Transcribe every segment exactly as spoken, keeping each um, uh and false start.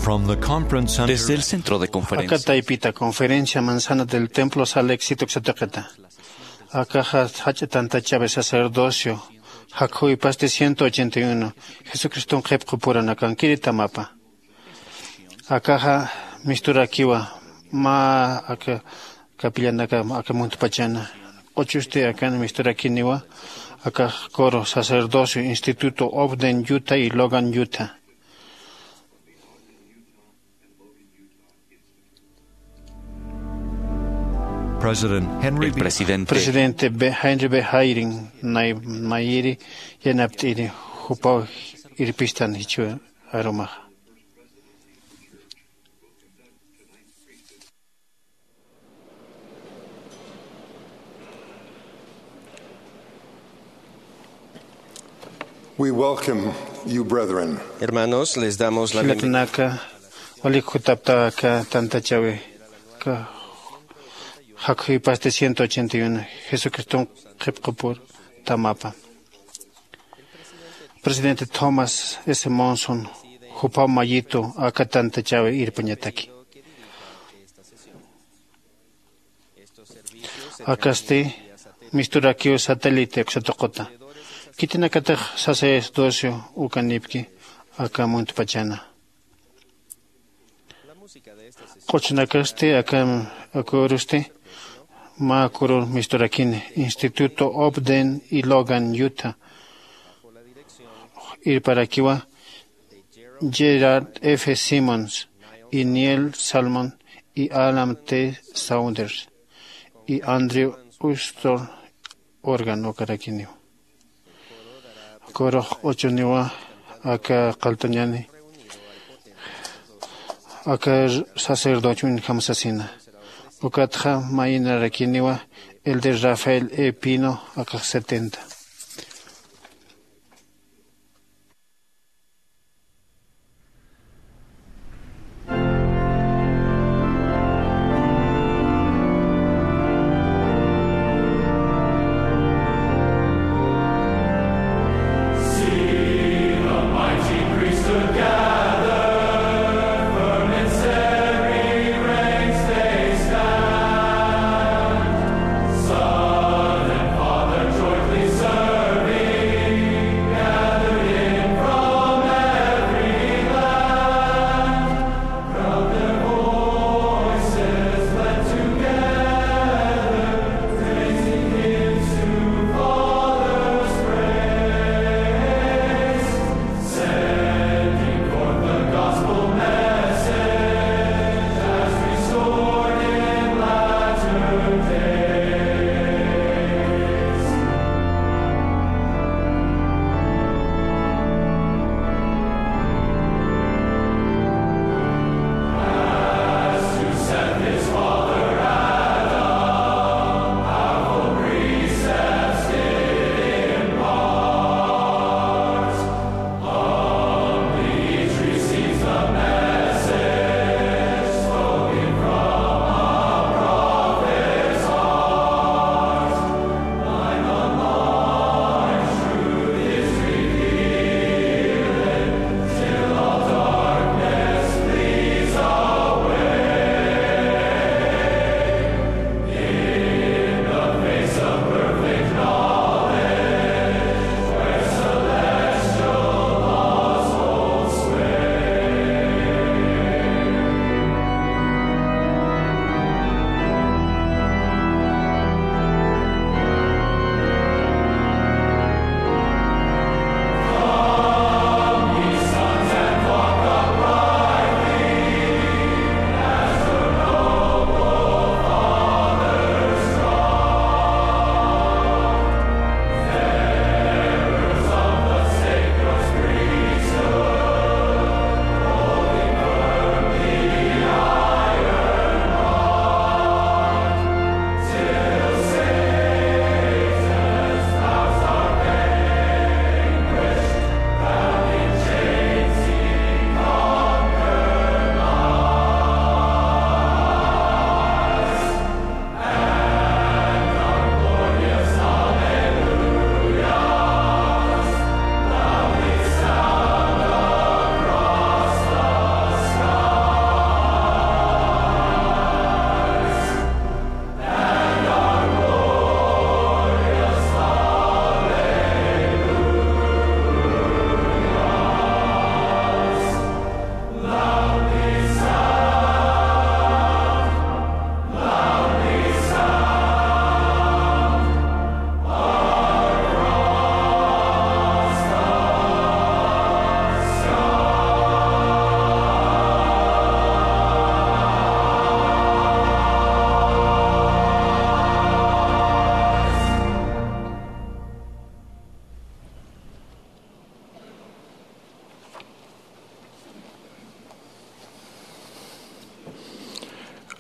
From the conference center. Desde el centro de conferencia. Aka taypita conferencia manzana del templo Salt Lake City uksatuqita. Akaxa jach'a tantachäwi sacerdocio jakhuwipasti ciento ochenta y uno, Jesucriston qhipqupuranakankiritamapan. Akaxa misturakiwa mä aka capillanaka aka muntpachana. Q'uchusti akan misturakiniwa aka coro sacerdocio Instituto Ogden Utah y Logan Utah. President Henry El B. Presidente Henry B. Eyring nay mayiri yanapt'iri jupaw irpistan jichhu arumaxa. We welcome you, brethren. Hermanos, les damos la bienvenida. Jilatanaka, walik jutapta aka tantachäwi, aka jakhuwipasti ciento ochenta y uno, Jesucriston qhipqupur tamapa. Presidente Thomas S. Monson, jupaw mayitu aka tantachäwi irpañataki. Akasti misturakiw satélite uksatuquta. Khitinakatix sacerdocio ukanipki aka muntpachana. Q'uchunakasti aka, aka urusti mä kurur misturakini Instituto Ogden y Logan Utah. Irparakiwa Gerald F. Simmons y Neil Salmon y Alan T. Saunders y Andrew Ustor órgano karakiniw. Kurux q'uchuniwa aka qalltañani aka sacerdocio uñjam sasina. Ukatxa mayinarakiniwa el de Rafael E. Pino aka setenta.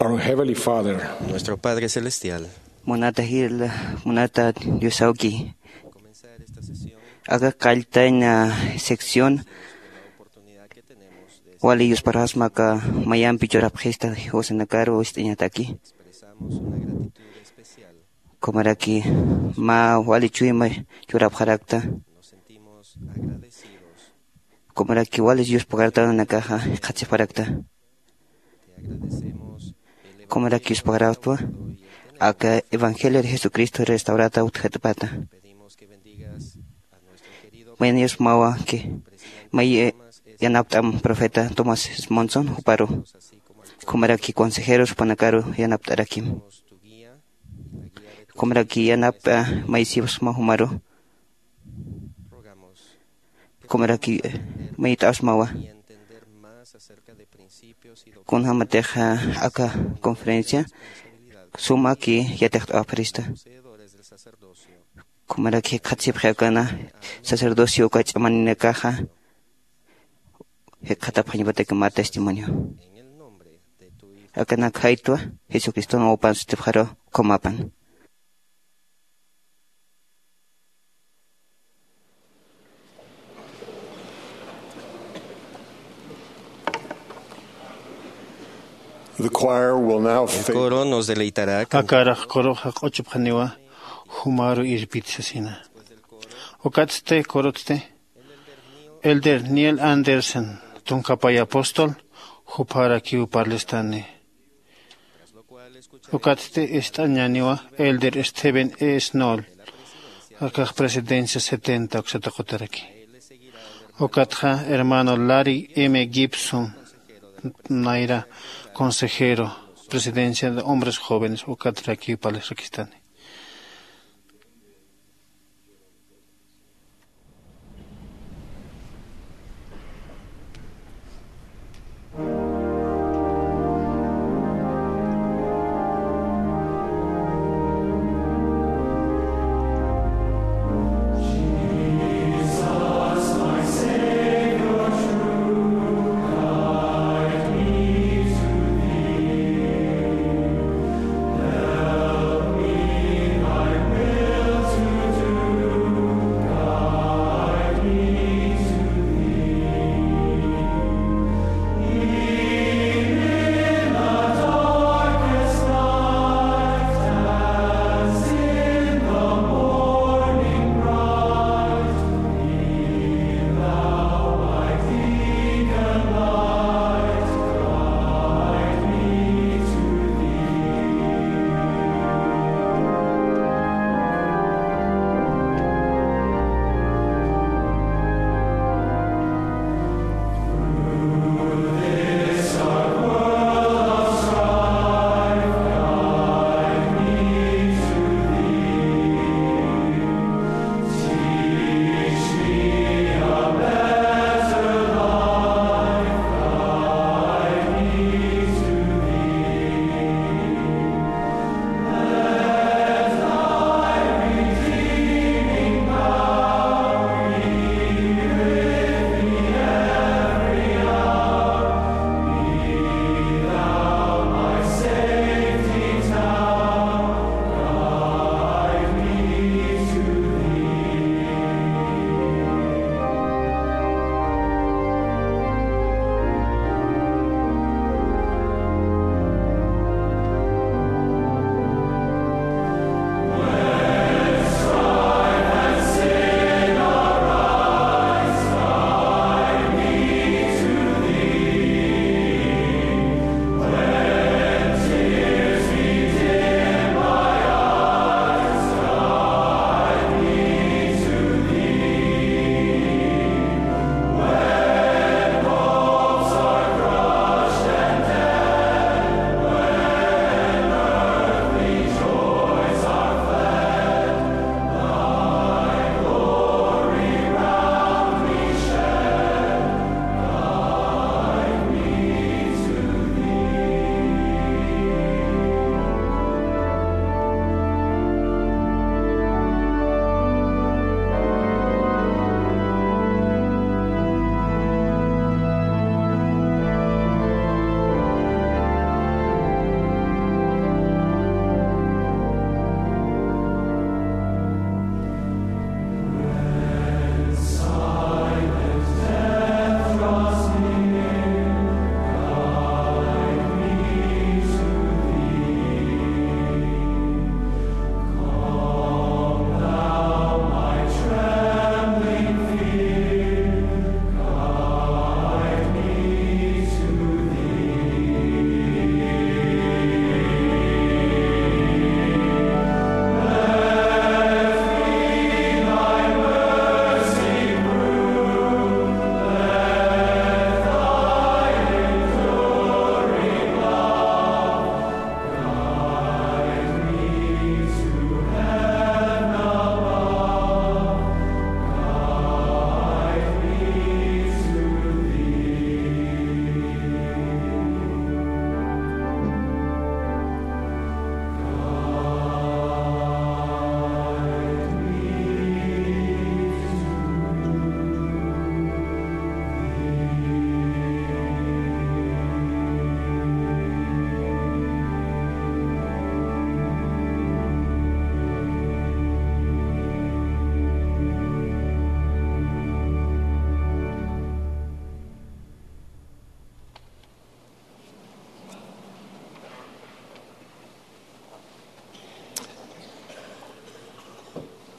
Our Heavenly Father, nuestro Padre Celestial. Munata jil, munata Diosawki. Comenzar esta sesión, aka qalltañ sección wali yusparasma aka mayampi churapxista jiwasanakaru ist'añataki. Expresamos una gratitud especial. Kumaraki mä wali chuyma churapxarakta. Nos sentimos agradecidos. Kumaraki wali yuspagartanakaxa jikxatsipxarakta. Kumaraki yuspagaraktwa aka evangelio de Jesucristo restaurata utjatpata. Mayni yusmawa que may yanapt'am profeta Thomas Monson juparu. Kumaraki consejeros jupanakaru yanapt'arakim. Kumaraki yanapt'a may sipsma jumaru. Kumaraki mayt'asmawa. Kunjamatixa aka conferencia sumaki yatiqt'awapxarista. Kumaraki jikxatsipxi akana sacerdocio uka ch'amaninakaxa jikxatapxañapataki mä testimonio. Akanak jaytwa Jesucriston wawapan sutipxaru, ukhamapan. The choir will now El fa- coro nos deleitará can- Akarax coroxa q'uchupxaniwa jumaru irpit sasina. Ukatsti corotsti Elder Neil Andersen, tunka pay apóstol, juparakiw parlistani. Ukatsti ist'añaniwa Elder Stephen E. Snoll, akax presidencia setenta uksata qutaraki. Ukatxa hermano Larry M. Gibson, nayra consejero, presidencia de hombres jóvenes, ukatrakiw parlisrakistani.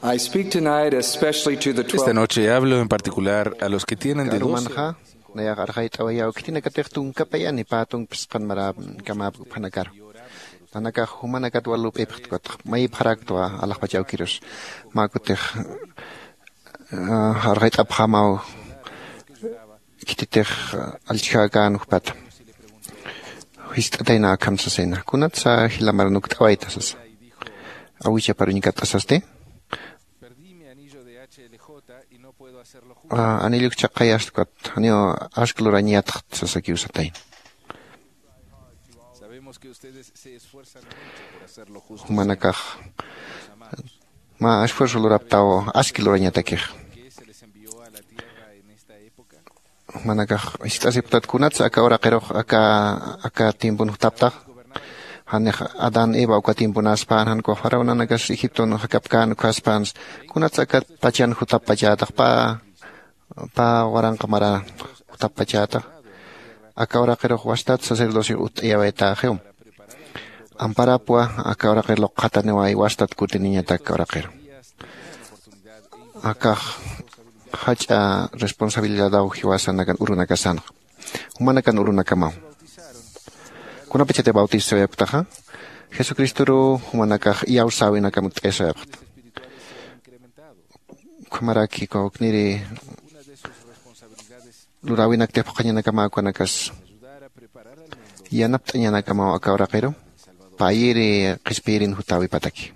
I speak tonight especially to the Esta twelve. Noche hablo en particular a los que tienen de doce. Karumanxa nayax arxayt'awayaw khitinakatix tunkapayani pä tunk phisqan mara kamap uphanakaru. Nanakax jumanakat wal lup'ipxtkutx mayipxaraktwa alaxpach awkirus. Mä kutix arxayt'apxamaw khititix allchhäkän jupata. Jist'atayna akham sasayna kunatsa jila maran ukt'awayta sasa. Awichaparuñkat'asasti anilluk chaqayastkut janiw ask lurañatxt sasakiw satayna. Jumanakax mä esfuerzo luraptaw aski lurañatakix. Jumanakax jist'asipktat kunatsa aka uraqirux aka aka tiempon jutaptax. Janix adán eva uka tiemponaspan jan kuwa faraonanakas egipton jakapkän ukhaspans kunatsa aka pachan jutapachätax pä pä waranqa mara jutapachätax. Aka uraqirux wastat sacerdocio utt'ayawaytäxiw. Amparapwa aka uraqir luqxataniway wastat kutiniñatak aka uraqiru. Akax jach'a responsabilidadaw jiwasanakan urunakasanxa. Jumanakan urunakamaw kunapachatix bautisawayapktaxa jesucristoruw jumanakax iyawsäwinakam utt'ayasawayapxta. Ukhamaraki kawkniri luräwinaktix phuqhañanakamäw ukanakas yanapt'añanakamaw aka uraqiru payiri qhispiyirin jutäwipataki.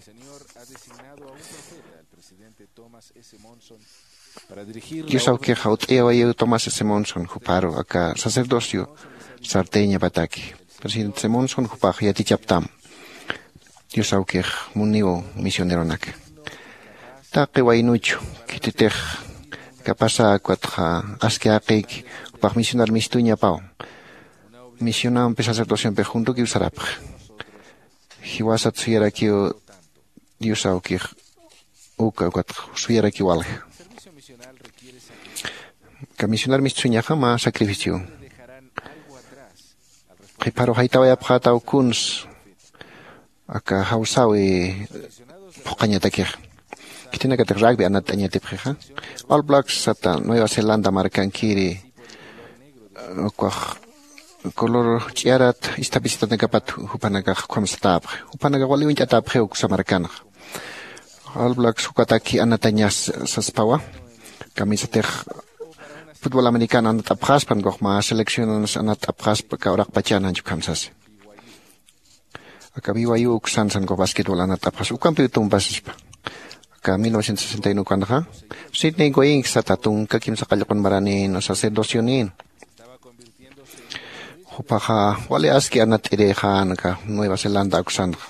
Dios awkixa utt'ayawayiw tomás s monson juparu aka sacerdocio sartayñapataki. Presidente s monson jupax yatichaptam. Dios awkix muniw misioneronaka taqi waynuchu khititix kapasa ukat aski jaqïki jupax misionar mistuñapaw. Misionampi sacerdociompi juntukiw sarapxi. Jiwasat suyarakiw dios awkix uka ukat suyarakiw walja. Aka misionar mistuñaxa mä sacrificio qhipharu jaytawayapxätaw kuns aka jawsäwi phuqhañatakix. Khitinakatix rugby anatt'añatipxixa. All blacks sata nueva zelanda markankiri ukax color ch'iyarat isthapisitatanakapat jupanakax ukham satäpxi. Jupanakax wali uñt'atäpxiw uksa markanxa. All blacks ukataki anatañas saspawa. Kamisatix futbol americano anat'apxaspan ukax mä seleccionanas anat'apxaspa aka uraqpachan janchukhamsasi. Aka vivayu uksan sankax basquetbol anat'apxas ukampiw tumpasispa. Aka mil novecientos sesenta y uno ukanxa sidney goyinksata tunka kimsa qallqun maranin sacerdocionin. Jupaxa wali aski anat'irixan aka nueva zelanda uksanxa.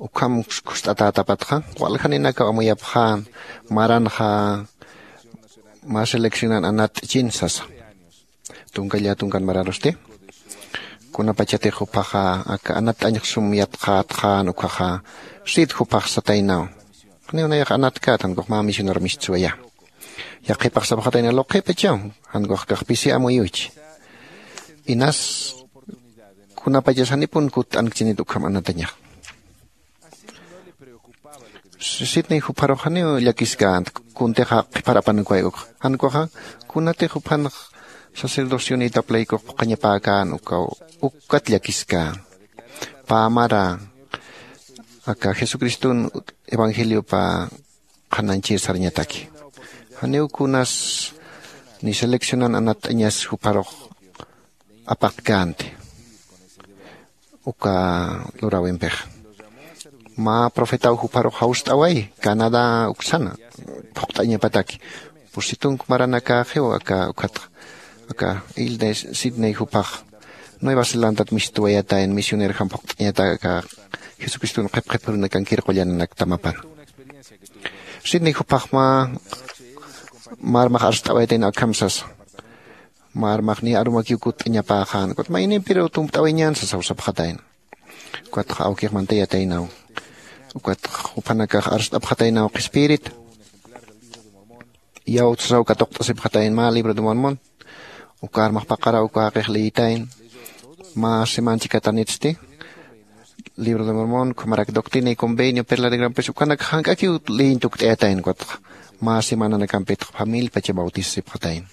Ukham kust'atätapatxa waljaninakaw amuyapxan maranxa mä seleccionan anat'chin sasa. Tunka llä tunkan mararusti kunapachatix jupaxa aka anat'añx sum yatxätxän ukhaxa sid jupax sataynaw. Janiw nayax anatkät jankux mä misionar mistswaya. Yaqhipax sapxatayna luqhipachaw jankux kax pisi amuyuchi. Inas kunapachas janipun kutt'ankchinit ukham anatañax. Sidney jupharux janiw llakiskänti kuntixa qhiphar apanukway ukxa jankuxa kunatix juphanx sacerdocionïtap laykux phuqhañapäkän ukaw ukat llakiskän. Pä mara aka jesucriston evangeliopa qhanañchir sarñataki. Janiw kunas ni seleccionan anatt'añas jupharux apaqkänti uka luräwimpixa. Mä profetaw jupharux jawst'away canadá uksana phuqt'añapataki. Pusitunk maranakäxiw aka ukhatxa aka hilda sidney juphax nueva zelandat mistuwayatayn misionerjam phuqt'añatak aka jesucriston qhipqhipurunakankir qullananaktamapana. Sidney juphax mä mä armax arst'awayatayn akham sasa. Mä armax niya arumakiw kutt'añapäxän ukat maynimpiruw tumpt'awayañän sasaw sapxatayna. Ukatxa awkix mantayataynaw. Ukatxa juphanakax arst'apxataynaw qhispiyirita. Iyawt sasaw katuqt'asipxatayna mä libro de mormón. Uka armax paqaraw uka jaqix liyitayna. Mä seman chikatanitsti libro de mormón ukhamarak doctrina y convenio perla de gran peso ukanaka jank'akiw leyin tukt'ayatayna ukatxa mä semananakampitxa familipacha bautisasipxatayna.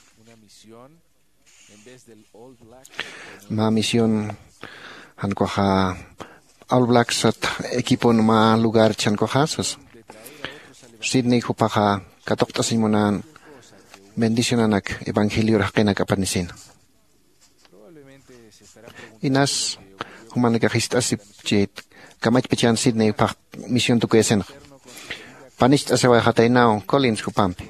Mä misión jankuxa all blacksat equipon mä lugar chankwaxa sas sidney jupaxa katuqt'asiñ munän bendicionanak evangelior jaqinak apanisina. Inas jumanakax jist'asip chit kamachpachan sidney juphax misión tukuyasinxa panicht'asiwayxataynaw collins jupampi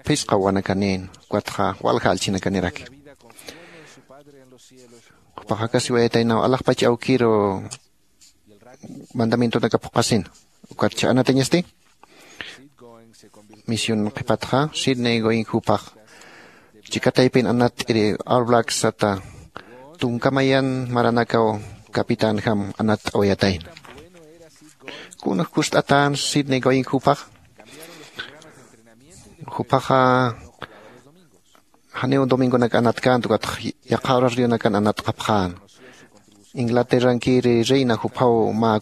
phisqa wanakanïn ukatxa walja allchhinakaniraki. Jupax jakasiwayataynaw alaxpach awkiru mandamientonaka phuqhasina. Ukatcha anatañasti misión qhipatxa sidney goin jupax chikataypin anat'iri all blacksata tunkamayan maranakaw capitänjam anatt'awayatayna. Kunx kust'atän sidney goin jupax jupaxa janiw domingonak anatkänta ukatx yaqha horario nakan anatqapxän. Inglaterrankiri reina juphaw mä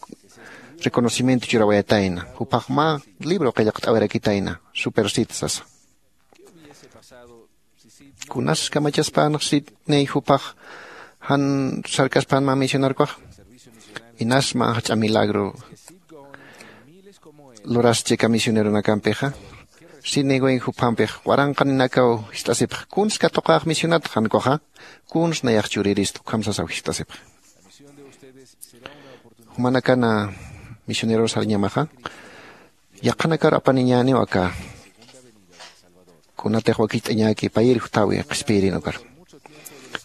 reconocimiento churawayatayna juphax mä libro qillqt'awirakitayna supersit sasa. Kunas kamachaspänx sidney jupax jan sarkaspän mä misionarkuxa? Inas mä jach'a milagro luraschi aka misioneronakampixa. Sidney wing juphampix waranqaninakaw jist'asipx kunsa katuqäx misionat jankuxa kunsa nayax churirista ukham sasaw jist'asipx. Jumanakana misioneros sarñamaxa yaqhanakar apaniñäniw aka kunatix wakicht'añäki payir juthawi qhispiyirin ukar.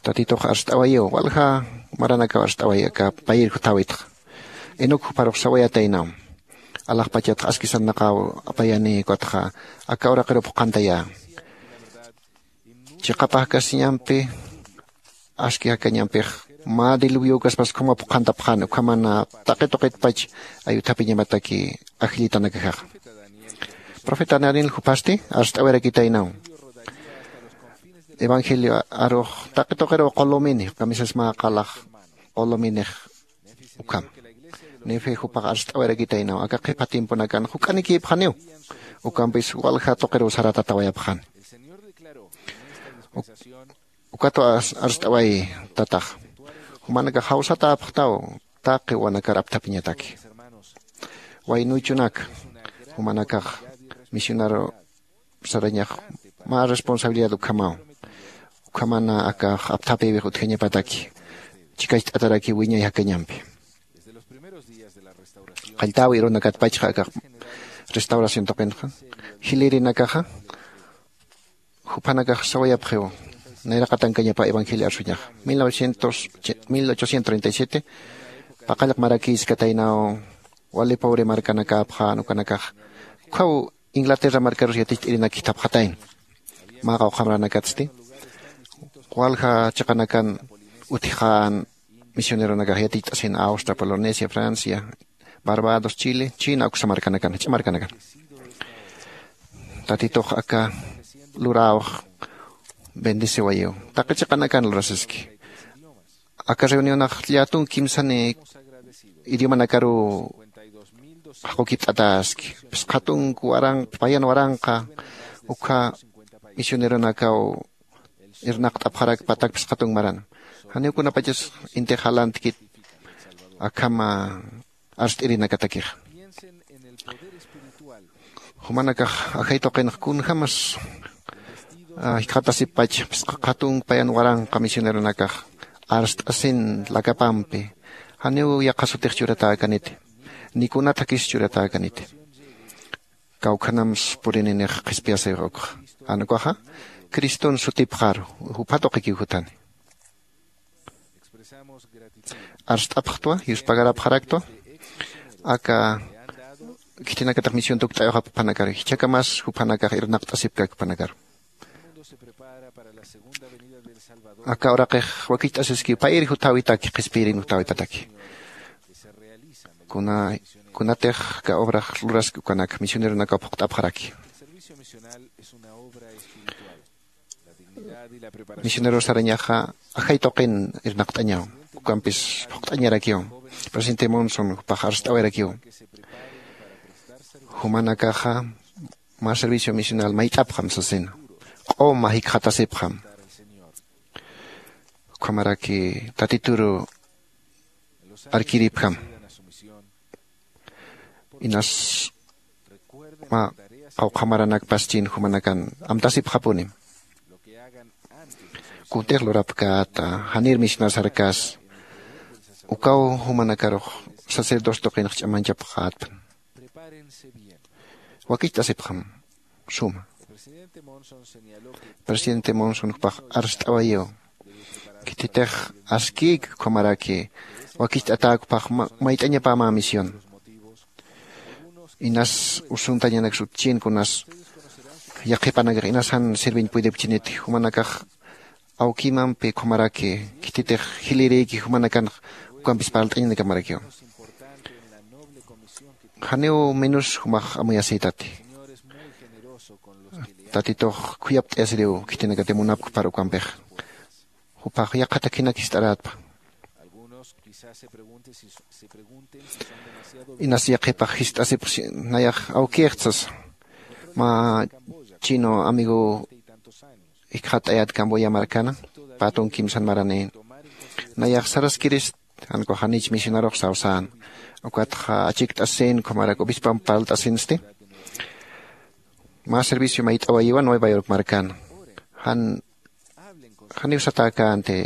Tatitux arst'awayiw walja maranakaw arst'awayi aka payir juthawi. Inuk jupharux sawayataynaw alaxpachatx aski sarnaqaw apayani ukatxa aka uraqirup juqantayä. Chiqapajkasiñampi aski jakañampix mä diluviokaspas ukhama phuqhantapxani ukhamana taqi tuqitpach ayuthapiñamataki ajllitanakajaxa. Profeta daniel juphasti arst'awirakitaynaw evangelio arux taqi tuqiruw qulumini kamisas mä qalax quluminix. Ukham nifi jupax arst'awirakitaynaw aka qhipa tiemponakan juk'anikïpxaniw ukampis walja tuqiruw saratatawayapxani. Ukatwa arst'awayi tatax jumanakax jawsatäpxtaw taqi wanakar apthapiñataki. Waynuychunak jumanakax misionaru sarañax mä responsabilidad ukhamaw ukhamana akax apthapïwix utjañapataki chikacht'atarakiw wiñay jakañampi. Qalltäwi irunakatpachxa akax restauración tuqinxa jilïrinakaxa juphanakax sawayapxiw nayraqatankañapa evangelio arsuñaxa. Mil ochocientos treinta y siete paqallq marakïskataynaw wali pobre markanakäpxän ukanakax ukkhaw inglaterra markarus yaticht'irinak jithapxatayna. Mä qawqha maranakatsti walja chiqanakan utjxän misioneronakax yaticht'asin austria polonesia francia barbados chile china uksa markanakan jach'a markanakan. Tatitux aka luräwx bendeciwayiw taqi chiqanakan lurasiski. Aka reunionax llätunk kimsani idiomanakaruw jaqukipt'atäski phisqhatunk waranqa payan waranqa ukkha misioneronakaw irnaqt'apxarak patak phisqhatunk maran. Janiw kunapachas intix jalantkit akham arst'irinakatakixa. Jumanakax ajay tuqinx kunjämas jikxatasipach phisqa qhatunk payan waranqa misioneronakax arst'asin lakapampi janiw yaqha sutix churatäkaniti ni kunat jakis churatäkaniti. Kawkhanams purininix qhispiyasix ukxa jan ukaxa criston sutipxaru jupha tuqikiw jutani. Arst'apxtwa yuspagarapxaraktwa aka khitinakatix misión tukt'ayuxap juphanakaru jichhakamas juphanakax irnaqt'asipkak juphanakaru. Aka uraqix wakicht'asiskiw payir jutawitaki qhispiyirin jutawipataki. Kunatix aka obrax luraski ukanak misioneronakaw phuqt'apxaraki. Misionero sarañaxa ajay tuqin irnaqt'añaw, ukampis phuqt'añarakiw. Presidente Monson jupax arst'awayarakiw, jumanakaxa mä servicio misional mayt'apxam sasina, q'uma jikxatasipxam, ukhamaraki tatituru arkiripjam. Inas mä qawqha maranakpaschin jumanakan amtasipxapunim. Kuntix lurapkäta, janir misionar sarkas, ukaw jumanakarux sacerdocio tuqinx ch'amanchapxätpan. Wakicht'asipxam suma. Presidente Monson jupax arst'awayiw, khititix askïk ukhamaraki wakicht'atäk jupax mayt'añapämä misión. Inas usuntañanak sutchin kunas yaqhipanakax inas jan sirviñ puydipchiniti jumanakax awkimampi ukhamaraki khititix jilïrïki jumanakanx ukampis parlt'añanakamarakiw. Janiw menos jumax amuyasïtati. Tatitux khuyapt'ayasiriw khitinakati munapkpar ukampix. Jupax yaqha takhinak jist'arätpa. Inas yaqhipax jist'asipxsi, nayax awkïxtsas mä chino amigo jikxat'ayät Camboya markana, patun kimsan maranïn. Nayax saraskirist, jan ukax janich misionarux sawsän. Ukatxa achikt'asin ukhamarak obispamp parlt'asinsti. Mä servicio mayt'awayiwa Nueva York markan. Jan janiw satäkänti,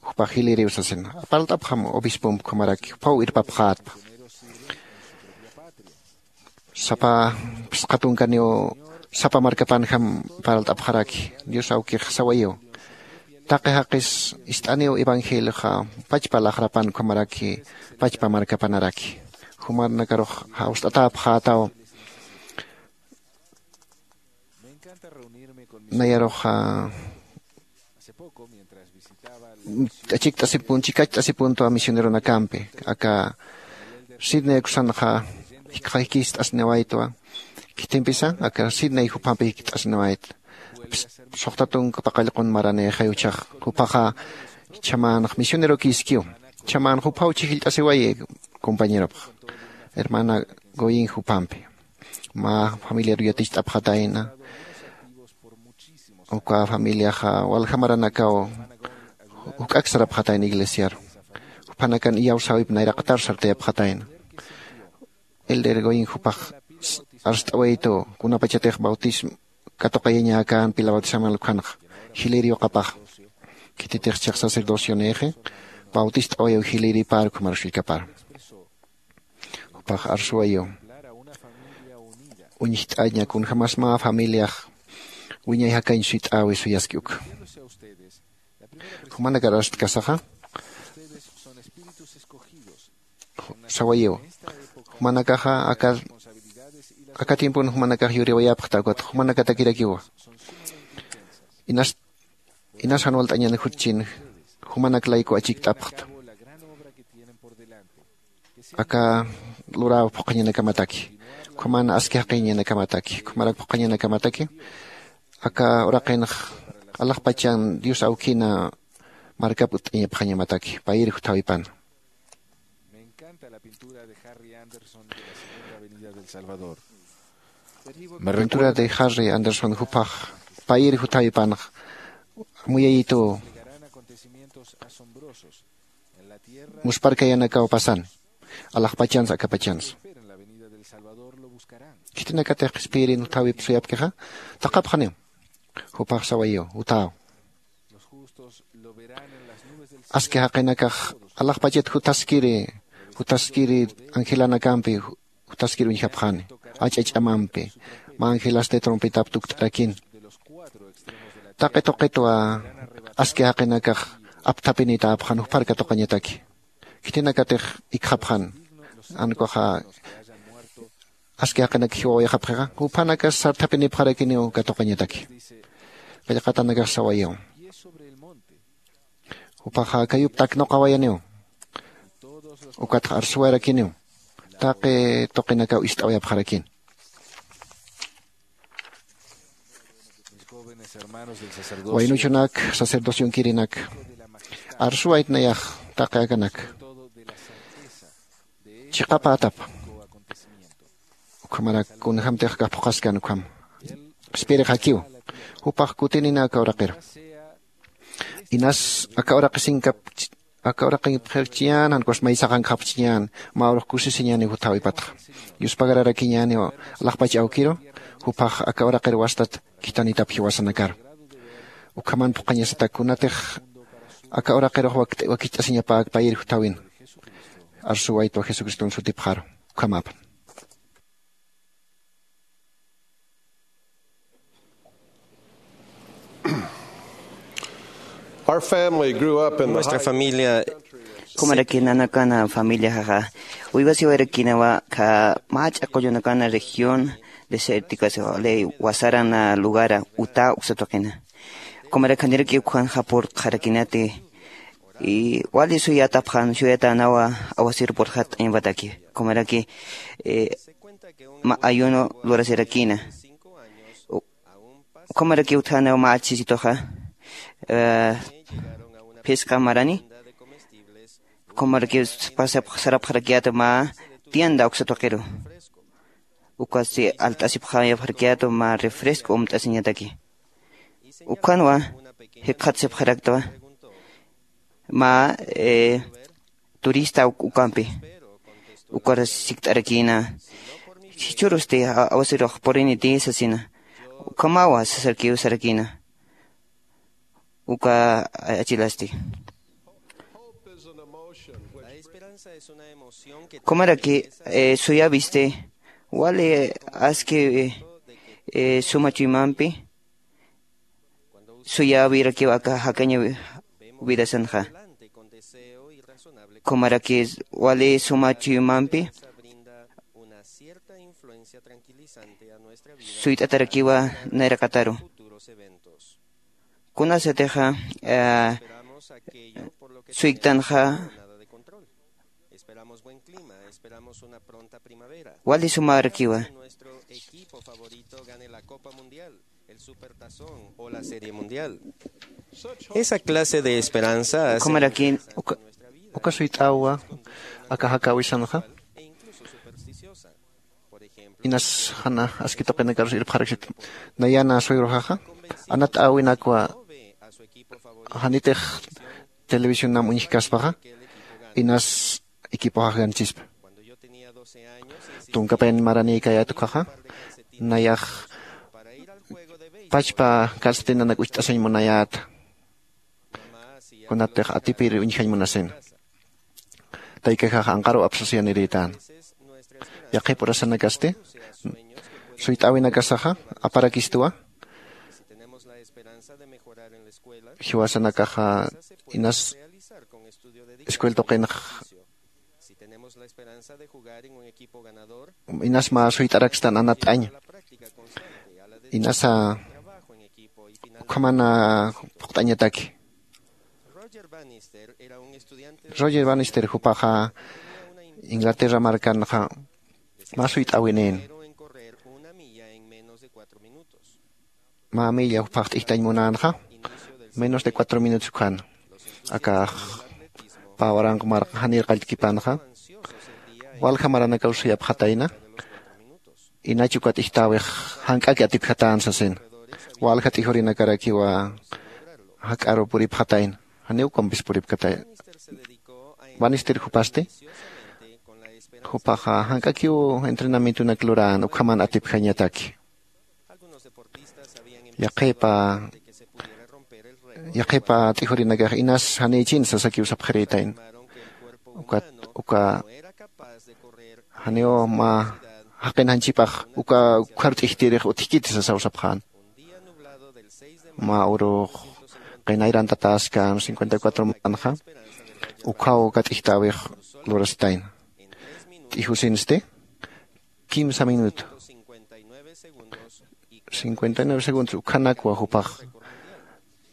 jupax jilïriw sasina. Parlt'apxam obispomp ukhamarak, juphaw irpapxätpa. Sapa phisqa tunkaniw sapa markapanjam parlt'apxaraki. Dios awkix sawayiw, taqi jaqis ist'aniw evangelioxa pachpa laqrapan ukhamaraki pachpa markapanaraki. Jumanakarux jawst'atäpxätaw. Nayaruxa achikt'asipun chikacht'asipuntu misioneronakampi, aka Sidney kusanxa jikxaykist'asniwaytwa. Khitimpisa aka Sidney jupampi jikt'asniwayt. Suxta tunka paqallqun maranïxay uchax, jupaxa chhamanx misionerokiskiw. Chhamanx juphaw chhijllt'asiwayi compañeropx, hermana Goyin jupampi. Mä familiar yaticht'apxatayna. Uka familiaxa walja maranakaw juk'ak sarapxatayna iglesiaru. Juphanakan iyawsäwip nayraqatar sartayapxatayna. Elder Goyin jupax arst'awaytu kunapachatix bautismo katuqayañäkän pila bautisaman lukhanxa jilïr yuqapax. Khititix chhix sacerdocionïxi bautist'awayiw jilïripar ukhamar usullkapar. Jupax arsuwayiw uñjt'aña kunjämas mä familiax wiñay jakañ suyt'äwi suyaski uka. Jumanakar arstkasaxa sawayiw, jumanakaxa aka aka tiempon jumanakax yuriwayapxta ukat jumanakatakirakiwa. Inas inas jan walt'añan jutchin jumanak layku achikt'apxta. Aka luräw phuqhañanakamataki, ukhaman aski jaqiñanakamataki, ukhamarak phuqhañanakamataki. Aka uraqinx alaxpachan Dios awkina markap utt'añapxañamataki payir juthawipan. Pintura de Harry Anderson jupax payir juthawipanx muyayituw. Musparkayanakaw pasan alaxpachansa akapachansa. Khitinakatix qhispiyirin juthawip suyapkixa taqapxaniw. Jupax sawayiw juthäw. Aski jaqinakax alaxpachat juthaskiri juthaskiri angelanakampi juthaskir uñjapxani. Ach'a ch'amampi mä angelasti trompetap tukt'arakin. Taqi tuqitwa aski jaqinakax apthapinitäpxan jupar katuqañataki. Khitinakatix ikxapxan jan ukaxa aski jaqinak jiwawayxapxixa juphanakas sarthapinipxarakiniw katuqañataki. Qillqatanakax sawayiw jupaxa kayup taknuqawayaniw. Ukatxa arsuwayarakiniw taqi tuqinakaw ist'awayapxarakini. Waynuchunak, sacerdocionkirinak, arsuwayt nayax taqi akanak chiqapätap. Ukhamarak kunjämtix kap phuqhaskan ukham. Qhispiyirix jakiw, jupax kutinina aka uraqiru. Inas aka uraqisinkap, aka uraqipxirchiñän, jan ukas may saqankxapchiñän, mä urux kusisiñäniw jutawipatxa. Yuspagararakiñäniw alaxpach awkiru, jupax aka uraqir wastat khithanitap jiwasanakaru. Ukhaman phuqhañasatak kunatix aka uraqirux wakicht'asiñapäkpayir jutawin. Arsuwaytwa Jesucriston sutipxaru. Ukhamäpan. Our family grew up in the Nuestra high familia. Kumaraki nanakana familiaxaxa uywasiwarakinawa kha mach'a qullunakana región desértica, ley wasarana lugara Utah uksatuqina. Kumaraki janiraki ukhan japur qharakinati y wali suyatapxan suyatanawa awasir purxat t'añwataki. Kumaraki eh, ma ayuno lurasirakina. Ukhamaraki utjana mä achisituxa phisqa marani. Ukhamaraki sarapxarakiyätu mä tienda uksa tuqiru. Ukasti alt'asipxayapxarakiyätu mä refresco umt'asiñataki. Ukhanwa jikxatsipxaraktwa mä turista ukampi. Ukar sikt'arakïna jichhürusti awasirux puriniti sasina. Ukhamawa sasarkiw sarakïna. Uka achilasti kumaraki suyäwisti wali aski suma chuymampi suyäwirakiw aka jakaña widasanxa. Kumaraki wali suma chuymampi suyt'atarakiwa nayraqataru. Kunasatixa suykt'anxa wali sumarakiwa. Esa clase de esperanza hace uka suyt'awa aka jakäwisanxa. Inas jana aski tuqinakarus irpxaraksit nayana suegroxaxa anat awinakwa janitix televisionam uñjkaspaxa inas equipoxax ganchispa. Tunkapayan maranïkayät ukhaxa nayax pachpa calcetinanak ucht'asañ munayäta. Kunatix atipir uñjañ munasina taykaxax anqaru apsasiyanirïtän. Yaqhip urasanakasti suyt'äwinakasaxa aparakistwa. Jiwasanakaxa inas escuel tuqinx inas mä suyt'arakstan anatt'aña. Inasa ukhamana phuqt'añataki. Roger Bannister jupaxa Inglaterra markanxa mä suyt'awinïn. Mä milla juphax t'ijtañ munänxa menos de cuatro minutos ukhan. Akax pä waranq marqa janir qalltkipanxa walja maranakaw suyapxatayna. Inach uka t'ijtäwix jank'aki atipjatän sasin walja t'ijurinakaraki jak'aru puripxatayna. Janiw ukampis puripkatay. Bannister jupasti jupaxa jank'akiw entrenamientonak lurän ukhaman atipjañataki. Yaqhipa yaqhipa t'ijurinakax inas janïchin sasakiw sapxirïtayn. Ukat uka janiw mä jaqin janchipax uka ukhar t'ijtirix utjkiti sasaw sapxän. Mä urux qinayrantatäskan cincuenta y cuatro manxa ukhaw uka t'ijtäwix lurasitayna. T'ijusinsti kimsa minuto cincuenta y nueve segundos ukhanakwa jupax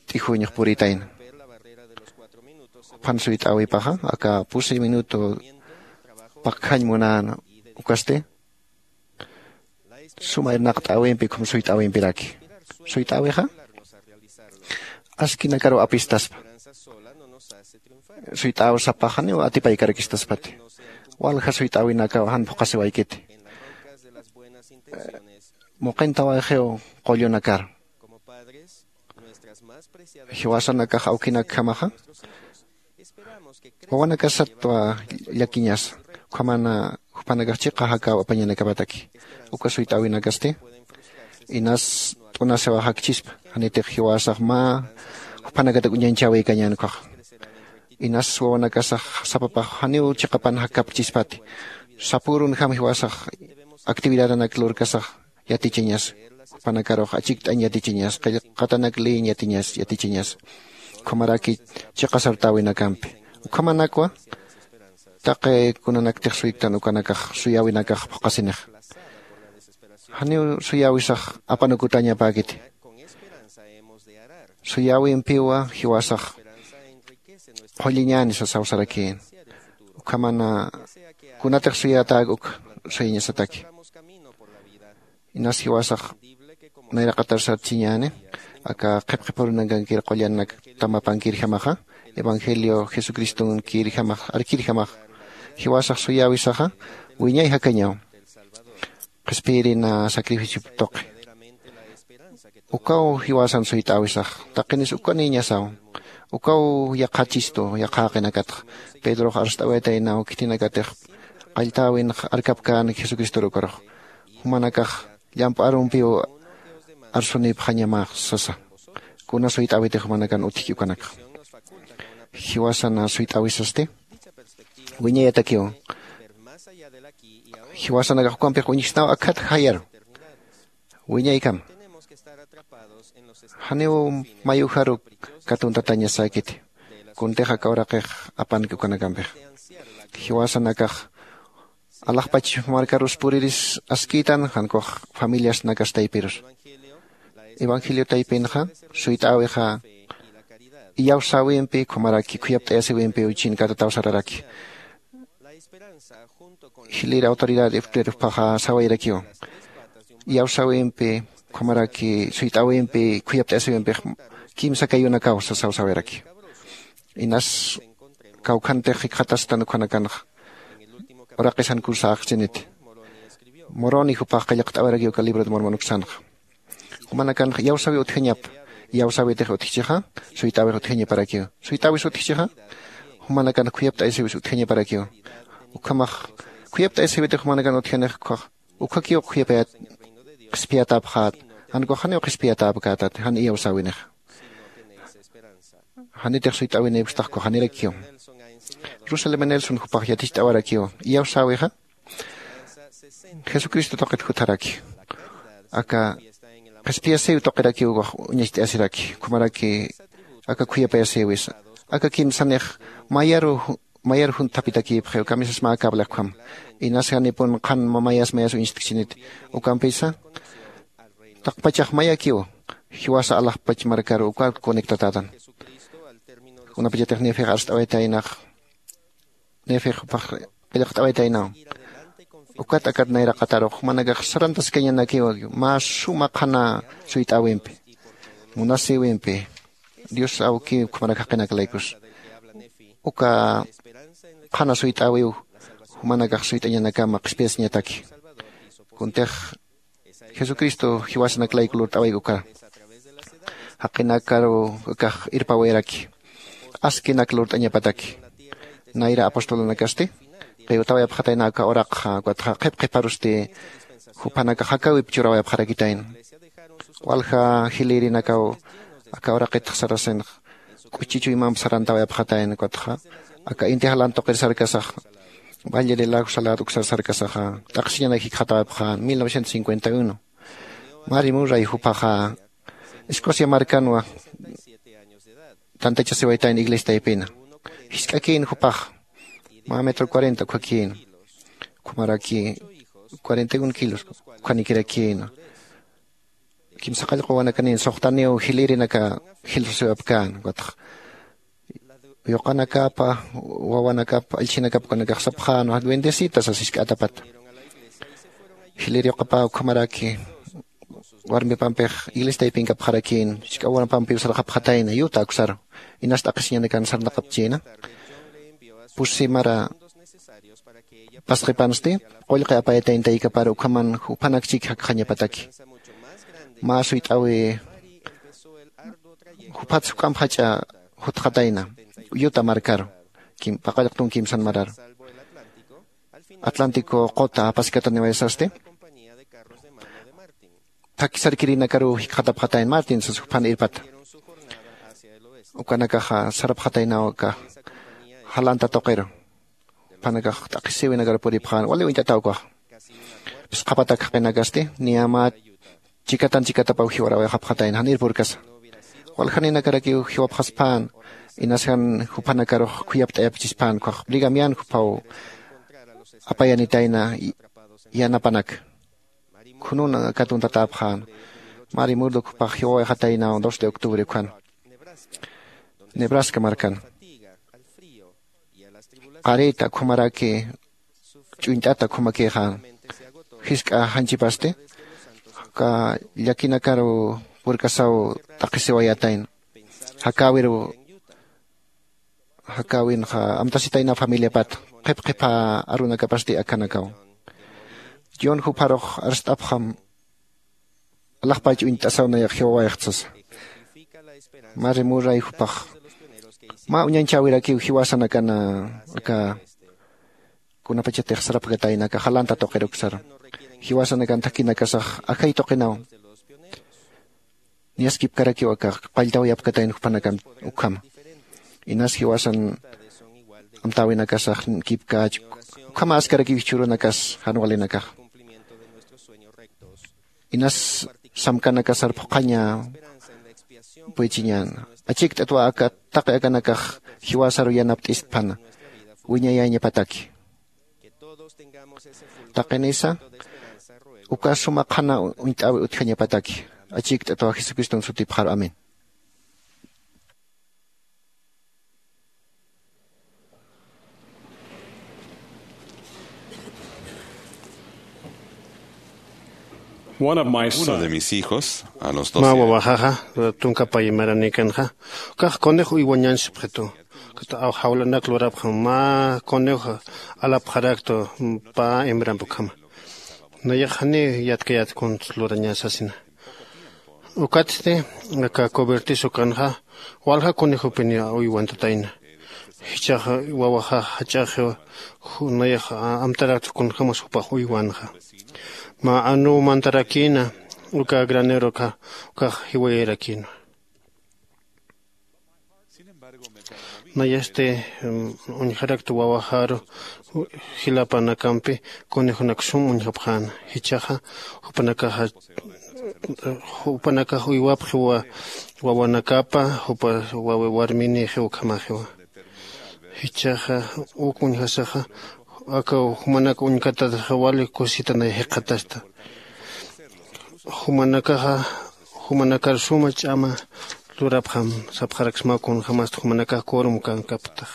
t'ijuñx puritayna. Juphan suyt'äwipaxa aka pusi minuto pakjañ munän. Ukasti suma irnaqt'äwimpi ukham suyt'äwimpiraki suyt'äwixa askinakaru apistaspa. Suyt'äw sapax janiw atipaykarakistaspat. Walja suyt'äwinakaw jan phuqasiwaykiti. Muqintawayxiw qullunakar. Jiwasanakax awkinakjamaxa wawanakasatwa llakiñasa. Ukhamana jupanakax chiqa jakäw apañanakapataki. Uka suyt'äwinakasti inas t'unasiwaxakchispa. Janitix jiwasax mä jupanakatak uñañchäwikañän ukkhaxa. Inas wawanakasax sapapax janiw chiqapan jakkapchispati. Sapürunjam jiwasax actividadanak lurkasax yatichañasa. Jupanakarux achikt'añ yatichañasa, qillqatanak leeñ yatiñasa yatichañasa. Ukhamaraki chiqa sartäwinakampi ukhamanakwa taqi kunanaktix suyktan ukanakax suyäwinakax phuqasinixa. Janiw suyäwisax apanukutañapäkiti. Suyäwimpiwa jiwasax qhulliñäni sasaw sarakïn. Ukhamana kunatix suyätäk uk suyañasataki. Inas jiwasax nayraqatar sartchiñäni aka qhipqipurunakankir qullanak tamapankirjamaxa evangelio jesucristonkirjamax arkirjamax. Jiwasax suyäwisaxa wiñay jakañaw qhispiyirina sacrificiop tuqi. Ukaw jiwasan suyt'äwisax taqinis ukanïñasaw. Ukaw yaqhachistu yaqhäqinakatxa. Pedrox arst'awaytaynaw khitinakatix qalltäwinx arkapkän jesucristor ukarux. Jumanakax llamp'arumpiw arsunipxañamax sasa. Kuna suyt'äwitix jumanakan utjki ukanakxa. Jiwasan suyt'äwisasti wiñayatakiw. Jiwasanakax ukampix uñjsnaw akhat jayaru wiñaykama. Janiw mayujaru katuntatañasäkiti. Kuntix aka uraqix apanki ukanakampix. Jiwasanakax alaxpach markarus puriris askïtan jankux familiasnakas taypirus. Evangelio taypinxa suyt'äwixa iyawsäwimpi ukhamaraki khuyapt'ayasiwimpiw chinkatataw sararaki. Jilïr autoridad efterpaxa sawayrakiw iyawsäwimpi ukhamaraki suyt'äwimpi khuyapt'ayasiwimpix kimsa kayunakaw sasaw sawayrakiw. Inas kawkhantix jikxatastan ukhanakanxa uraqisan kursa aqchiniti. Moroni jupax qillqt'awirakiw uka libro de mormon uksanxa. Jumanakanx iyawsäwi utjañap. Iyawsäwitix utjchixa suyt'äwix utjañaparakiw. Suyt'äwis utjchixa jumanakanx khuyapt'ayasiwis utjañaparakiw. Ukhamax khuyapt'ayasiwitix jumanakan utjanix ukkhax ukhakiw khuyapayat qhispiyatäpxät. Jan ukax janiw qhispiyatäpkätat jan iyawsäwinix. Janitix suyt'äwinïpkstax ukkhax janirakiw. Russell m nelson jupax yaticht'awarakiw iyawsäwixa jesucristo tuqit jutharaki. Aka qhispiyasïw tuqirakiw uñacht'ayasiraki ukhamaraki aka khuyapayasïwisa. Aka kimsanix mayaru mayar junthapitakïpxiw kamisas mä cabla ukham. Inas janipun qhan mamayas mayas uñst'kchiniti ukampisa taqpachax mayakiw jiwasa alaxpach markaru uka conectatätan. Kunapachatix nefex arst'awaytaynax nefex jupax qillqt'awaytaynaw. Ukat akat nayraqatarux jumanakax sarantaskañanakiw mä suma qhana suyt'äwimpi munasïwimpi dios awkiw ukhamarak jaqinaklaykus. Uka qhana suyt'äwiw jumanakax suyt'añanakama qhispiyasiñataki. Kuntix jesucristo jiwasanaklayku lurt'awayku uka jaqinakaru ukax irpawayaraki askinak lurt'añapataki. Nayra apostolunakasti qiwtawayapxatayna aka uraqxa ukatxa qhip qhiparusti juphanakax jakawip churawayapxarakitayna. Walja jilïrinakaw aka uraqitx sarasinx k'uchi chuymamp sarantawayapxatayna ukatxa aka inti jalan tuqir sarkasax valle de lago salado uksar sarkasaxa t'aqsiñanak jikxatawayapxän. Mil novecientos cincuenta y uno mari murray jupaxa escocia markanwa tantachasiwaytayna iglesia taypina. Jisk'akïn jupax mä metro cuarenta ukkhakïn ukhamaraki cuarenta y un kilos ukhanikirakïn. Kimsa qallqu wawanakanïn suxtaniw jilïrinaka jilsasiwapkän ukatxa yuqanakapa wawanakapa allchinakapa ukanakax sapxänwa bendecita sas jisk'atapata. Jilïr yuqapä ukhamaraki warmipampix iglesia taypinkapxarakïn, jisk'a warmipampiw sarxapxatayna yuta aksaru. Inas t'aqhisiñanakan sarnaqapchïna. Pusi mara pasqipansti qullqi apayatayna taykapar ukhaman juphanakchik jakxañapataki. Mä suyt'äwi juphatsa juk'amp jach'a jutxatayna yuta markaru, paqallqtun kimsan mararu. Atlántico quta apaskataniwayasasti thakhi sarkirinakaruw jikxatapxatayna martin sas juphan irpata. Ukanakaxa sarapxataynaw aka jalanta tuqiru juphanakax t'aqhisiwinakaru puripxän wali uñt'ataw ukaxa. Phisqhapatak jaqinakasti niyamät chikatan chikatapaw jiwarawayxapxatayna janir purkasa. Waljaninakarakiw jiwapxaspän inasjan juphanakarux khuyapt'ayapkchispän ukkhax brigamian juphaw apayanitayna yanapanaka. Khunun katuntatäpxän mari murdo juphax jiwawayxataynaw dos de octubre ukkhan nebraska markan. Qarita ukhamaraki ch'uñt'ata ukhamakïxän jisk'a janchipasti aka llakinakaru purkasaw t'aqhisiwayätayna. Jakäwiru jakäwinxa amtasitayna familiapat qhip qhipha arunakapasti akanakaw. John jupharux arst'apxam alaxpach uñt'asaw nayax jiwawayxtsasa. Mari muray jupax mä uñanchäwirakiw jiwasanakana aka kunapachatix sarapkatayna aka jalanta tuqiruksaru. Jiwasanakan thakhinakasax ajay tuqinaw niyaskipkarakiw aka qalltawayapkatayna jupanakan ukhama. Inas jiwasan amtäwinakasax kipkäch ukhama askarakiw jichhürunakas jan walinakax. Inas samkanakasar phuqhaña puychiñäna. Achikt'atwa aka taqi akanakax jiwasaru yanapt'istphana wiñayäñapataki. Taqinisa uka suma qhana uñt'äwi utjañapataki. Achikt'atwa jesucriston sutipxaru amén. One of my Uno de sons. Mis hijos a los mä doce años wawaxaxa tunka pay maranikanxa ukax conejo uywañan sipxitu. Kata aw jawlanak lurapxam mä conejo alapxaraktu pä hembrampi ukhama. Nayax janiw yatkayät kuns lurañä sasina. Ukatsti aka cobertiza ukanxa walja conejopiniw uywantatayna. Jichhaxa wawaxax jach'axiw nayax amtarakta kunjämas jupax uywanxa. Mä anuw mantarakïna uka granero ukax jiwayarakïnwa. Nayasti uñjarakta wawaxaru jilapanakampi conejonak sum uñjapxäna. Jichhaxa jupanakaxa jupanakax uywapxiwa wawanakapa jupa warminïxiw ukhamaxiwa. Jichhaxa uk uñjasaxa aka jumanak uñkatataxa wali kusitanay jikxatasta. Jumanakaxa jumanakar suma ch'ama lurapxam sapxaraksmaw kunjämasti jumanakax corum kankaptax.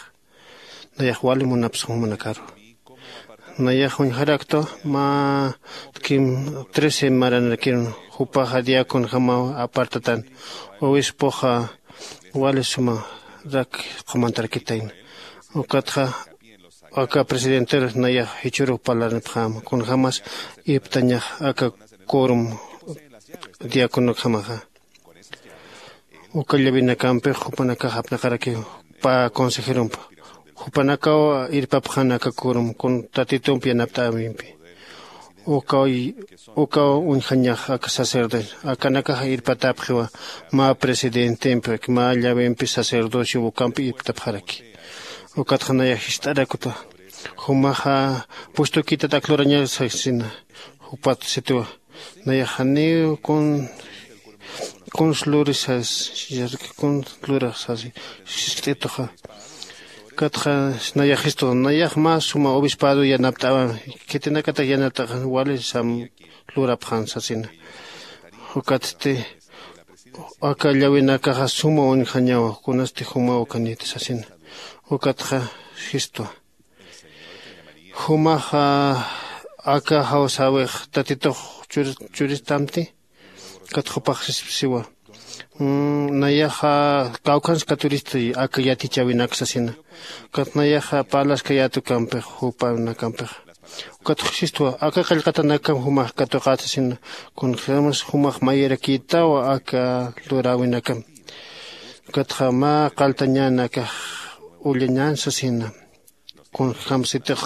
Nayax wali munapsa jumanakaru. Nayax uñjaraktu mä kim trece maranrakirun jupaxa diaconjamaw apartatan obispoxa wali suma rak qumantarakitayna. Ukatxa aka presidenteru nayax jichhürux parlarnipxäma kunjämas irptañax aka corum diaconojamaxa. Uka llawinakampix jupanakax apnaqarakiw pä consejerump jupanakaw irpapxän aka corum kun tatitump yanapt'äwimpi. Ukaw ukaw uñjañax aka sacerdocio akanakax irpatäpxiwa mä presidentempi mä llawimpi sacerdocio ukampi irptapxaraki. Ukatxa nayax jist'arakuta jumaxa puestukïtat ak luraña sasina. Jupat sitiwa nayax janiw kun kuns luri sas kuns lurax sasi. Siskt'ituxa katxa nayax jistu nayax mä suma obispado yanapt'awan khitinakataq yanapt'axan wali sam lurapxan sasina. Ukatsti aka llawinakaxa suma uñjañawa kunasti jumaw ukaniti sasina. Ukatxa jistwa jumaxa aka jawsäwix tatitux churistamti Kat jupax siwa nayaxa kawkhanskaturisti aka yatichäwinak sasina. Kat nayaxa parlaskayätukampix jupanakampix. Ukat sistwa aka qillqatanakam jumax katuqät sasina. Kunjämas jumax mayirakïtawa aka luräwinakam. Ukatxa mä qaltañän akax ullañän sasina. Kunjämsitix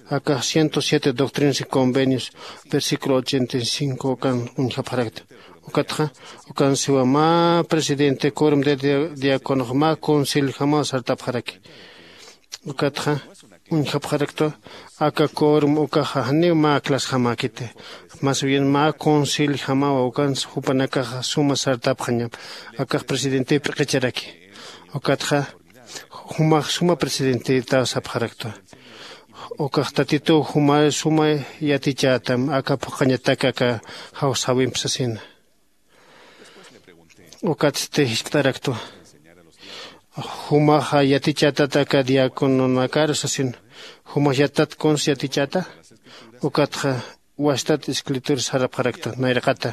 aka ciento siete doctrinas y convenios versículo ochenta y cinco ukan uñjapxarakta. Ukatxa ukan siwa mä presidente quorum de diaconox mä conciliojamaw sartapxaraki. Ukatxa uñjapxaraktwa aka quorum ukaxa janiw mä clasjamäkiti. Más bien mä conciliojamawa ukan jupanakaxa suma sartapxañam. Akax presidente p'iqicharaki. Ukatxa jumax suma presidentetaw sapxaraktwa. Ukax tatituw juma suma yatichätam aka phuqhañatak aka jawsäwimp sasina. Ukatsti jiskt'araktwa jumaxa yatichätat aka diacononakar sasin. Jumax yatat kuns yatichäta. Ukatxa wastat escritura sarapxarakta nayraqata.